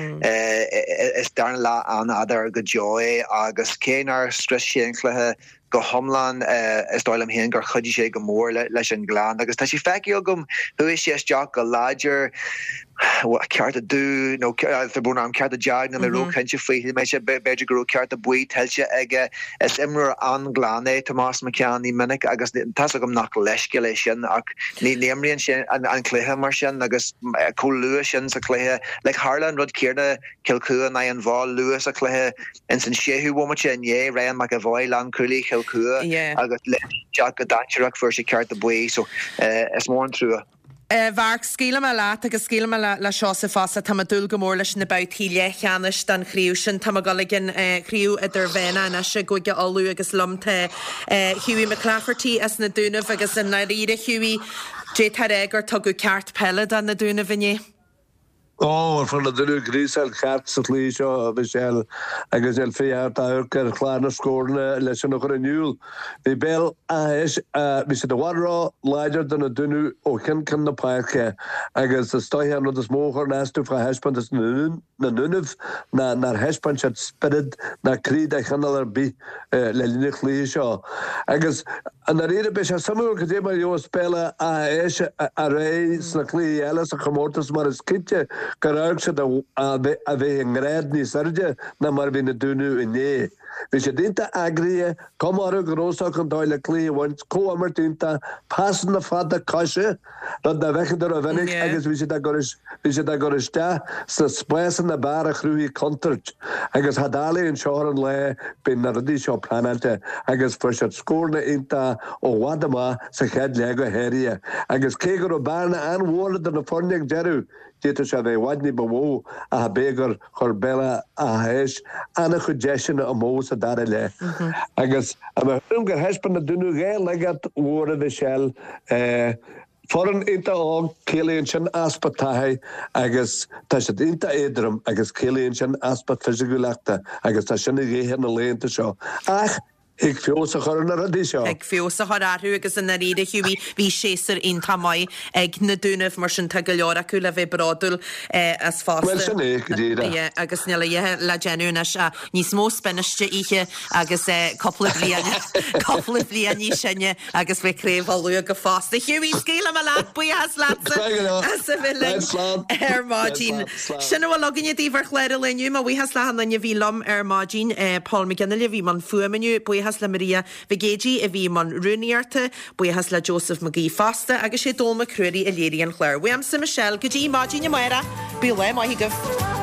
Is darna leath an-fhada go deo é agus cé nár scrios sé an cluiche go hiomlán, is dóigh liom féin gur chuidigh sé go mór leis an Ghleann agus tá sé feicthe agam, chuaigh sé isteach go láidir, cárta dubh nó tá brón orm, cárta dearg, níl mé róchinnte faoi, shíl mé b'fhéidir go raibh cárta buí tuillte aige. Is imreoir an-ghlan é Tomás McCann, ní minic agus tá's agam nach leithscéal é sin ach ní imríonn sé an cluiche mar sin agus chomh luath sin sa chluiche, like tharla an rud céanna Cill Chua in aghaidh an Mhóidh luath sa chluiche ins an séú bhomaite inné, Ryan McAvoy, lánchúlaí Chill Chua agus léim isteach go dainséarach fuair sé cárta buí so is mór an trua. A Mharc, scaoilfidh mé leat agus scaoilfidh mé le Seosamh fosta. Tá mé ag dúil go mór leis na babhtaí leathcheannais den chraobh sin. Tá mé ag dul ag an chraobh idirmheánach anois i gCúige Uladh agus liom tá Hughie McClafferty as na Dúnaibh agus i ndáiríre Hughie, d'fhéadfá a rá gur tugadh ceart peile do na Dúnaibh inné. Ó, fuair na Dúnaibh gríosáil cheart sa chluiche seo, a Mhichelle, agus níl fiú ort amharc ar chlár na scóranna leis sin a chur in iúl. Bhí Béal Átha hÉis, bhí siad i bhfad ró-láidir do na Dúnaibh ó cheann ceann na páirce agus is dóiche an rud is mó a chuireann as domh fá thaispeántas na nDúnaibh ná nár thaispeáin siad spiorad ná croí de chineál ar bith le linn an chluiche seo. Agus i ndáiríre, beidh sé suimiúil cad é mar a gheobhas Béal Átha hÉis ar aghaidh sna cluichí eile sa chomórtas mar is cinnte gur amharc siad a bheith i ngrád níos airde ná mar a bhí na Dúnaibh inné. Bhí siad iontach eagraithe, cuma orthu go raibh fhios acu an dóigh le cluiche a bhaint, comhimirt iontach, pasanna fada coise, rud nach bhfeiceann tú rómhinic agus bhí siad á gcur bhí siad á gcur isteach sna spásanna ab fhearr a chruthaigh contúirt agus cha doiligh anseo ar an lá bíonn na rudaí seo pleanáilte agus fuair siad scóranna iontacha ó bhfad amach sa chéad leath go háirithe agus cé go raibh bearna an-mhór idir na foirne ag deireadh d'fhéadfadh sé a bheith i bhfad ní ba mhó ach ab é gur chuir Béal Átha hÉis an-chuid deiseanna amú sa dara leath agus i mo thuairim gur thaispeáin na Dúnaibh dhá laigeacht mhóra Mhichelle. Foireann iontach óg, ciallaíonn sin easpa taithí agus tá siad iontach éadrom agus ciallaíonn sin easpa fisiciúlachta agus tá sin a dhíth na laethanta seo. Ach Thig feabhas a chur ar na rudaí seo. Thig feabhas a chur orthu agus i ndáiríre Hughie, bhí séasúr iontach maith ag na Dúnaibh mar sin tá go leor acu le bheith bródúil as fosta. Bhuel sin é, go díreach. Yeah, agus níl a dhath le déanamh anois ach níos mó spinach a ithe agus cúpla bliain, cúpla bliain níos sine agus beidh Craobh Uladh acu fosta. Hughie, scaoilfidh mé leat, buíochas leatsa as a bheith linn ar maidin. Sin a bhfuil againne daoibh ar chlár an lae inniu. Mo bhuíochas le achan duine a bhí liom ar maidin. Paul McGinley a bhí i mbun fuaime inniu. Buíochas le Maria Mhic Géidigh a bhí i mbun rúnaíochta. Buíochas le Joseph McGee fosta agus sé Dónall Mac Ruairí a léirigh an clár. Uaimse Michelle go dtí maidin amárach, bíodh lá maith agaibh.